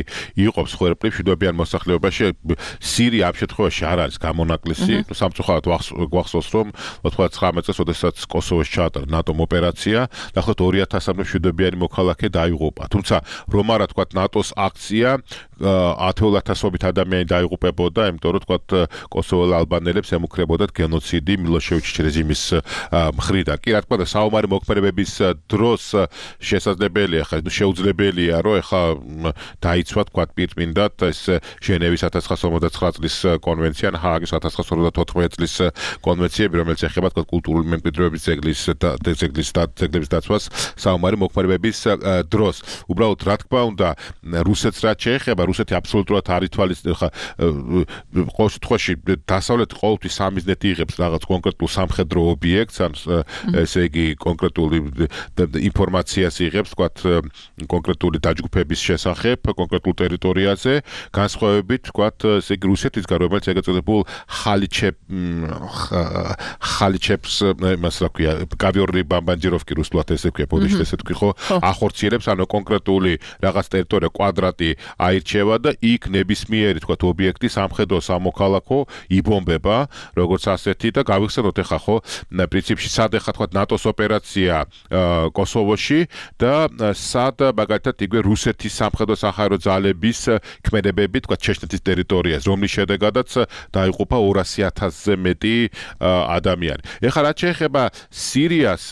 იყო მსხვერპლი მშვიდობიან მოსახლეობაში. სირია ამ შემთხვევაში არ არის გამონაკლისი. სამწუხაროდ გვახსოვს რომ 99 წელს, როდესაც კოსოვოს ჩაატარა ნატომ ოპერაცია, დაახლოებით 2000-მდე მშვიდობიანი მოქალაქე დაიღუპა. თუმცა რომ არა თქვა ნატოს აქცია 10,000-ობით ადამიანი დაიღუპებოდა, იმიტომ რომ თქვა კოსოველ ალბანელებს ემუქრებოდათ გენოციდი მილოშევიჩის რეჟიმის მხრიდან. კი რა თქმა უნდა, საომარი მოქმედებების დროს შესაძლებელია, ხა შეუძლებელია, რომ ეხა დაიცვა თქვა პირწმინდად ეს ჟენევის 1959 წლის კონვენცია, ჰააგის 1954 წლის კონვენციები, რომელიც ეხება თქვა კულტურული მემკვიდრეობის ძეგლების დაცვას საომარი მოქმედებების დროს. უბრალოდ რა თქმა უნდა, რუსეთს რაც შეეხება, რუსეთი აბსოლუტურად არ ითვალისწინებს, ხა ყოველ შემთხვევაში დასავლეთი ყოველთვის სამიზნედ იღებს რაღაც კონკრეტულ სამხედრო ობიექტს, ან ესე იგი კონკრეტული ინფორმაციას იღებს, თქვათ კონკრეტული დაჯგუფების შესახებ კონკრეტულ ტერიტორიაზე, განსხვავებით, თქვათ ესე იგი რუსეთისგან, რომელიც ეგრეთ წოდებულ ხალიჩებს, იმას რა ქვია, კავიორნი ბამბანჯიროვკი რუსულად ესე ქვია, ბოდიში ესე თქვი ხო, ახორციელებს, ანუ კონკრეტული რაღაც ტერიტორია კვადრატი აირჩევა და იქ ნებისმიერი, თქვათ, ობიექტი სამხედრო სამოქალაქო იბომბება, როგორც ასეთი და გავიხსენოთ ეხა ხო, პრინციპში სად ეხა თქვათ ნატოს ოპერაცია კოსოვოში და სად მაგალითად იგივე რუსეთის სამხედრო სახარო ძალების ქმედებები თქვათ ჩეჩნეთის ტერიტორიაზე, რომლის შედეგადაც დაიღუპა 200,000-ზე მეტი ადამიანი. ეხლა რაც შეეხება სირიას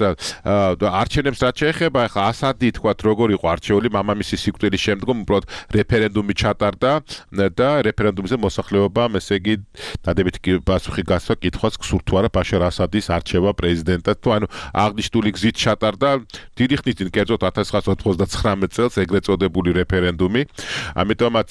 არჩევნებს, რაც შეეხება ეხლა ასადი თქვათ როგორ იყო არჩეული მამამისის სიკვდილის შემდგომ, უბრალოდ რეფერენდუმი ჩატარდა და რეფერენდუმზე მოსახლეობამ ესე იგი დადებითი პასუხი გასვა კითხვას გსურთ თუ არა ბაშარ ასადის არჩევა პრეზიდენტად თუ ანუ აღნიშნული გზით ჩატარდა დიდი ხნის წინ კერძოდ 1999 წელს ეგრეთ წოდებული რეფერენდუმი. ამიტომაც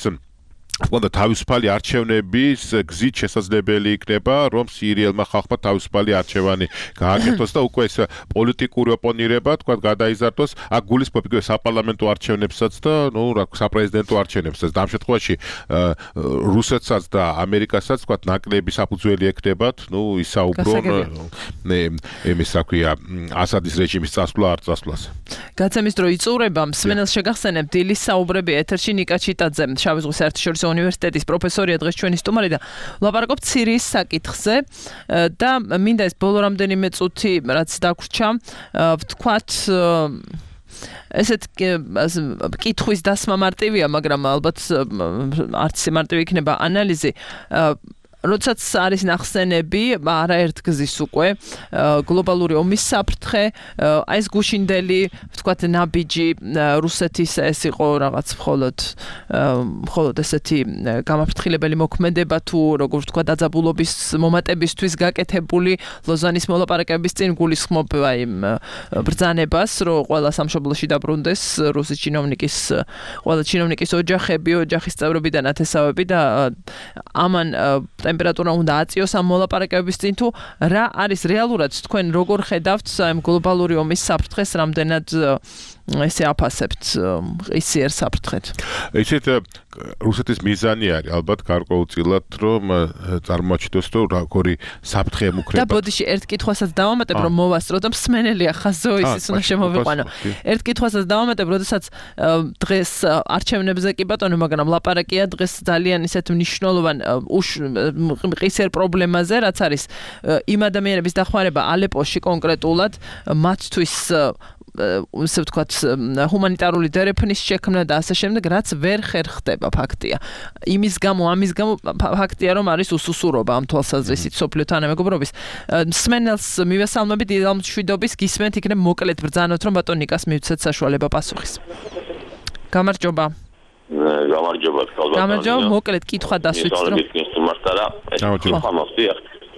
უნდა თავისუფალი არჩევნების გზით შესაძლებელი იქნება, რომ სირიელმა ხალხმა თავისუფალი არჩევანი გააკეთოს და უკვე ეს პოლიტიკური ოპონირება, თქვა, გადაიზარდოს, აქ გულისხმობ იგივე საპარლამენტო არჩევნებსაც და, ნუ, რა საპრეზიდენტო არჩევნებსაც. ამ შემთხვევაში რუსეთსაც და ამერიკასაც, თქვა, ნაკლები საფუძველი ექნებათ, ნუ, ისაუბრონ იმის, რა ქვია, ასადის რეჟიმის წასვლა არ წასვლას. გაცემის დრო იწურება, მსმენელს შეგახსენებ დილის საუბრები ეთერში ნიკა ჩიტაძე, შავი ზღვის საერთაშორისო უნივერსიტეტის პროფესორია დღეს ჩვენი სტუმარი და ვლაპარაკობთ სირიის საკითხზე და მინდა ეს ბოლო რამდენიმე წუთი რაც დაგვრჩა ვთქვათ ესეთ კითხვის დასმა მარტივია, მაგრამ ალბათ არც მარტივი იქნება ანალიზი. როდესაც არის ნახსენები არაერთ გზის უკვე გლობალური ომის საფრთხე, აი ეს გუშინდელი ვთქვათ ნაბიჯი რუსეთის ეს იყო რაღაც მხოლოდ ესეთი გამაფრთხილებელი მოქმედება თუ როგორ ვთქვათ დაძაბულობის მომატებისთვის გაკეთებული ლოზანის მოლაპარაკებების წინ გულისხმობ აი ბრძანებას, რომ ყველა სამშობლოში დაბრუნდეს რუსის ყველა ჩინოვნიკის ოჯახის წევრები და ნათესავები და ამან ტემპერატურა უნდა აწიოს ამ მოლაპარაკებების წინ თუ რა არის რეალურად თქვენ როგორ ხედავთ ამ გლობალური ომის საფრთხეს, რამდენად ესე აფასებთ ისიერ საფრთხეთ? ისეთ რუსეთის მიზანი არის ალბათ გარკვეულწილად რომ წარმოაჩინოს რომ როგორი საფრთხე ემუქრება. და ბოდიში ერთ კითხვასაც დავამატებ რომ მოვასწრო და მსმენელია ხაზო ისიც უნდა შემოვიყვანო. ერთ კითხვასაც დავამატებ, როდესაც დღეს არჩევნებზე კი ბატონო, მაგრამ ლაპარაკია დღეს ძალიან ისეთ მნიშვნელოვან ყისერ პრობლემაზე, რაც არის იმ ადამიანების დახმარება ალეპოში კონკრეტულად, მათთვის ისე ვთქვათ ჰუმანიტარული დერეფნის შექმნა და ასე შემდეგ, რაც ვერ ხერხდება ფაქტია. ამის გამო ფაქტია რომ არის უსუსურობა ამ თვალსაზრისით სოფლიო თანამეგობრობის. მსმენელს მივესალმებით დილამშვიდობის, გისმენთ იქნებ მოკლედ ბრძანოთ რომ ბატონ ნიკას მივცეთ საშუალება პასუხის. გამარჯობა. გამარჯობა, მოკლედ კითხვა დასვით რომ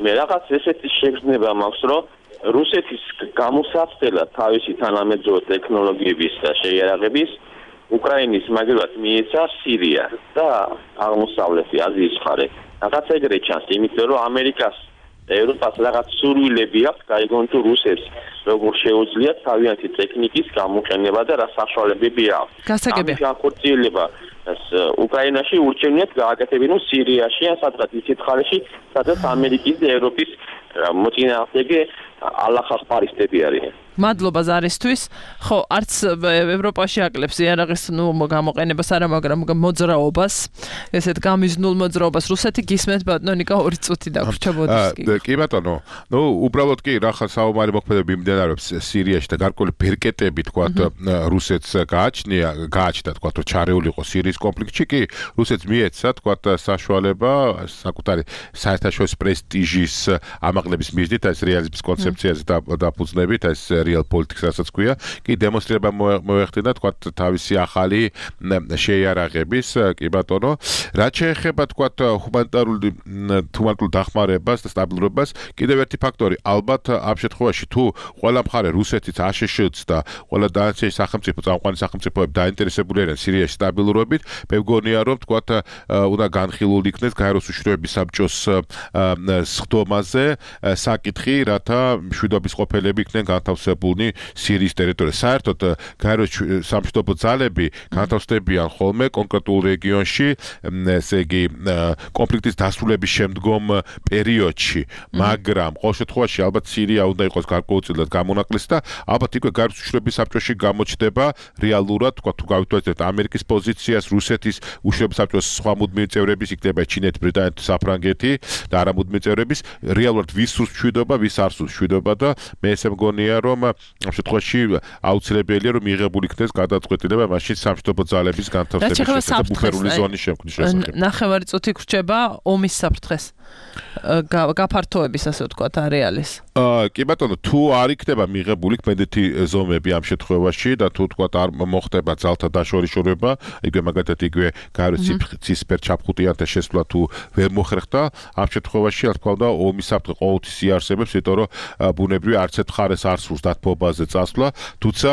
მე რაღაც ესეთი შეგრძნება მაქვს, რომ რუსეთის გამოსაცდელად თავისი თანამედროვე ტექნოლოგიების და შეიარაღების უკრაინის მაგალითად მიეცა სირია და აღმოსავლეთი აზიის მხარე. რაღაც ეგრე ჩანს, იმიტომ რომ ამერიკას და ევროპას რაღაც სურვილები აქვს გაიგონ თუ რუსებს როგორ შეუძლიათ თავიანთი ტექნიკის გამოყენება და რა საშუალებები აქვს. გასაგებია. განხორციელება უკრაინაში ურჩევნიათ გააკეთებინონ სირიაში ან სადღაც ისეთ ხარეში, სადაც ამერიკის და ევროპის მოწინააღმდეგე ალახახპარისტები არიან. მადლობა ზარისთვის. ხო, არც ევროპაში აკლებს იარაღის გამოყენებას არა, მაგრამ მოძრაობას, ესეთ გამიზნულ მოძრაობას. რუსეთი გისმენთ ბატონო ნიკა 2 წუთი დაგვრჩა ბოდიში. კი ბატონო, უბრალოდ კი რახა საომარი მოქმედებები მიმდინარეობს სირიაში და გარკვეული ბერკეტები თქვათ რუსეთს გააჩნდა თქვათ რომ ჩარეული იყო სირიის კონფლიქტში კი რუსეთს მიეცა თქვათ საშუალება საკუთარი საერთაშორისო პრესტიჟის ამაღლების მიზნით ეს რეალიზმის კონცეფციაზე დაფუძნებით ეს real politics რასაც ქვია, კი დემონსტრირება მოეხდინა თქვათ თავისი ახალი შეიარაღების, კი ბატონო, რაც შეეხება თქვათ ჰუმანიტარულ დახმარებას და სტაბილურობას, კიდევ ერთი ფაქტორი, ალბათ ამ შემთხვევაში თუ ყველა მხარე რუსეთიც აშშ-ც და ყველა დანარჩენი სახელმწიფო წამყვანი სახელმწიფოები დაინტერესებული არიან სირიაში სტაბილურობით, მე მგონია რომ თქვათ უნდა განხილული იქნეს გაეროს უშიშროების საბჭოს სხდომაზე საკითხი, რათა მშვიდობის ყოფილები იქნენ განთავსებულნი სირიის ტერიტორიაზე. საერთოდ გაეროს სამშვიდობო ძალები განთავსდებიან ხოლმე კონკრეტულ რეგიონში, ესე იგი კონფლიქტის დასრულების შემდგომ პერიოდში, მაგრამ ყოველ შემთხვევაში ალბათ სირია უნდა იყოს გარკვეულწილად გამონაკლისი და ალბათ იქვე გაეროს უშიშროების საბჭოში გამოჩნდება რეალურად, თქვა თუ გავითვალისწინებთ ამერიკის პოზიციას, რუსეთის უშიშროების საბჭოს სხვა მუდმივი წევრების, იქნება ჩინეთი, ბრიტანეთი, საფრანგეთი და არა მუდმივი წევრების, რეალურად ვის სურს მშვიდობა, ვის არ სურს მშვიდობა და მე ესე მგონია რომ ამ შემთხვევაში აუცილებელია რომ მიიღებული იქნეს გადაწყვეტილება მაშინ სამშვიდობო ძალების განთავსების შესახებ ბუფერული ზონის შემქმნის შესახებ. ნახევარი წუთი გრჩება ომის საფრთხეს. გაფართოების ასე ვთქვათ არეალის. კი ბატონო, თუ არ იქნება მიღებული კმედეთი ზომები ამ შემთხვევაში და თუ თქვათ არ მოხდება ძალთა დაშორიშორება, იგივე მაგათად იგივე გაეროს ცისფერ ჩაფხუტიანთა შესვლა თუ ვერ მოხერხდა, ამ შემთხვევაში რა თქმა უნდა ომის საფრთხე ყოველთვის იარსებებს, იმიტომ რომ ბუნებრივი არც ერთ მხარეს არ სურს დათბობაზე წასვლა, თუმცა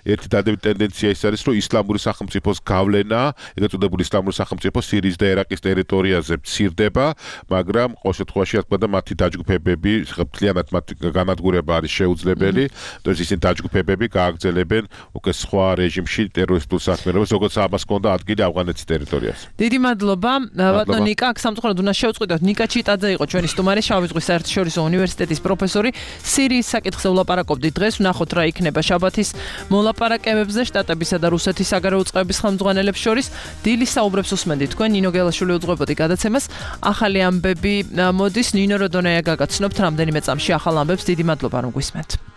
ერთი დადებითი ტენდენცია ის არის, რომ ისლამური სახელმწიფოს გავლენა, ეგრეთ წოდებული ისლამური სახელმწიფო სირიის და ერაყის ტერიტორიაზე მცირდება, მაგრამ ყოველ შემთხვევაში რა თქმა უნდა მათი დაჯგუფებები მთლიანად მათი განადგურება არის შეუძლებელი, თორემ ისინი დაჯგუფებები გააგრძელებენ უკვე სხვა რეჟიმში ტერორისტულ საქმიანობას, როგორც ამას ჰქონდა ადგილი ავღანეთის ტერიტორიაზე. დიდი მადლობა, ბატონო ნიკა, აქ სამწუხაროდ უნდა შევწყვიტოთ. ნიკა ჩიტაძე იყო ჩვენი სტუმარი, შავი ზღვის საერთაშორისო უნივერსიტეტის პროფესორი. სირიის საკითხზე ვლაპარაკობდით დღეს, ვნახოთ რა იქნება შაბათის მოლაპარაკებებზე შტატებისა და რუსეთის საგარეო წყაროების ხელმძღვანელებს შორის. დილის საუბრებს უსმენდით თქვენ, ნინო გელაშვილი უძღვებოდი გადაცემას. ახალი ამბები მოდის, ნინო როდონაია გაგაცნობთ რამდენიმე წამში ახალ ამბებს. დიდი მადლობა რომ გვისმენთ.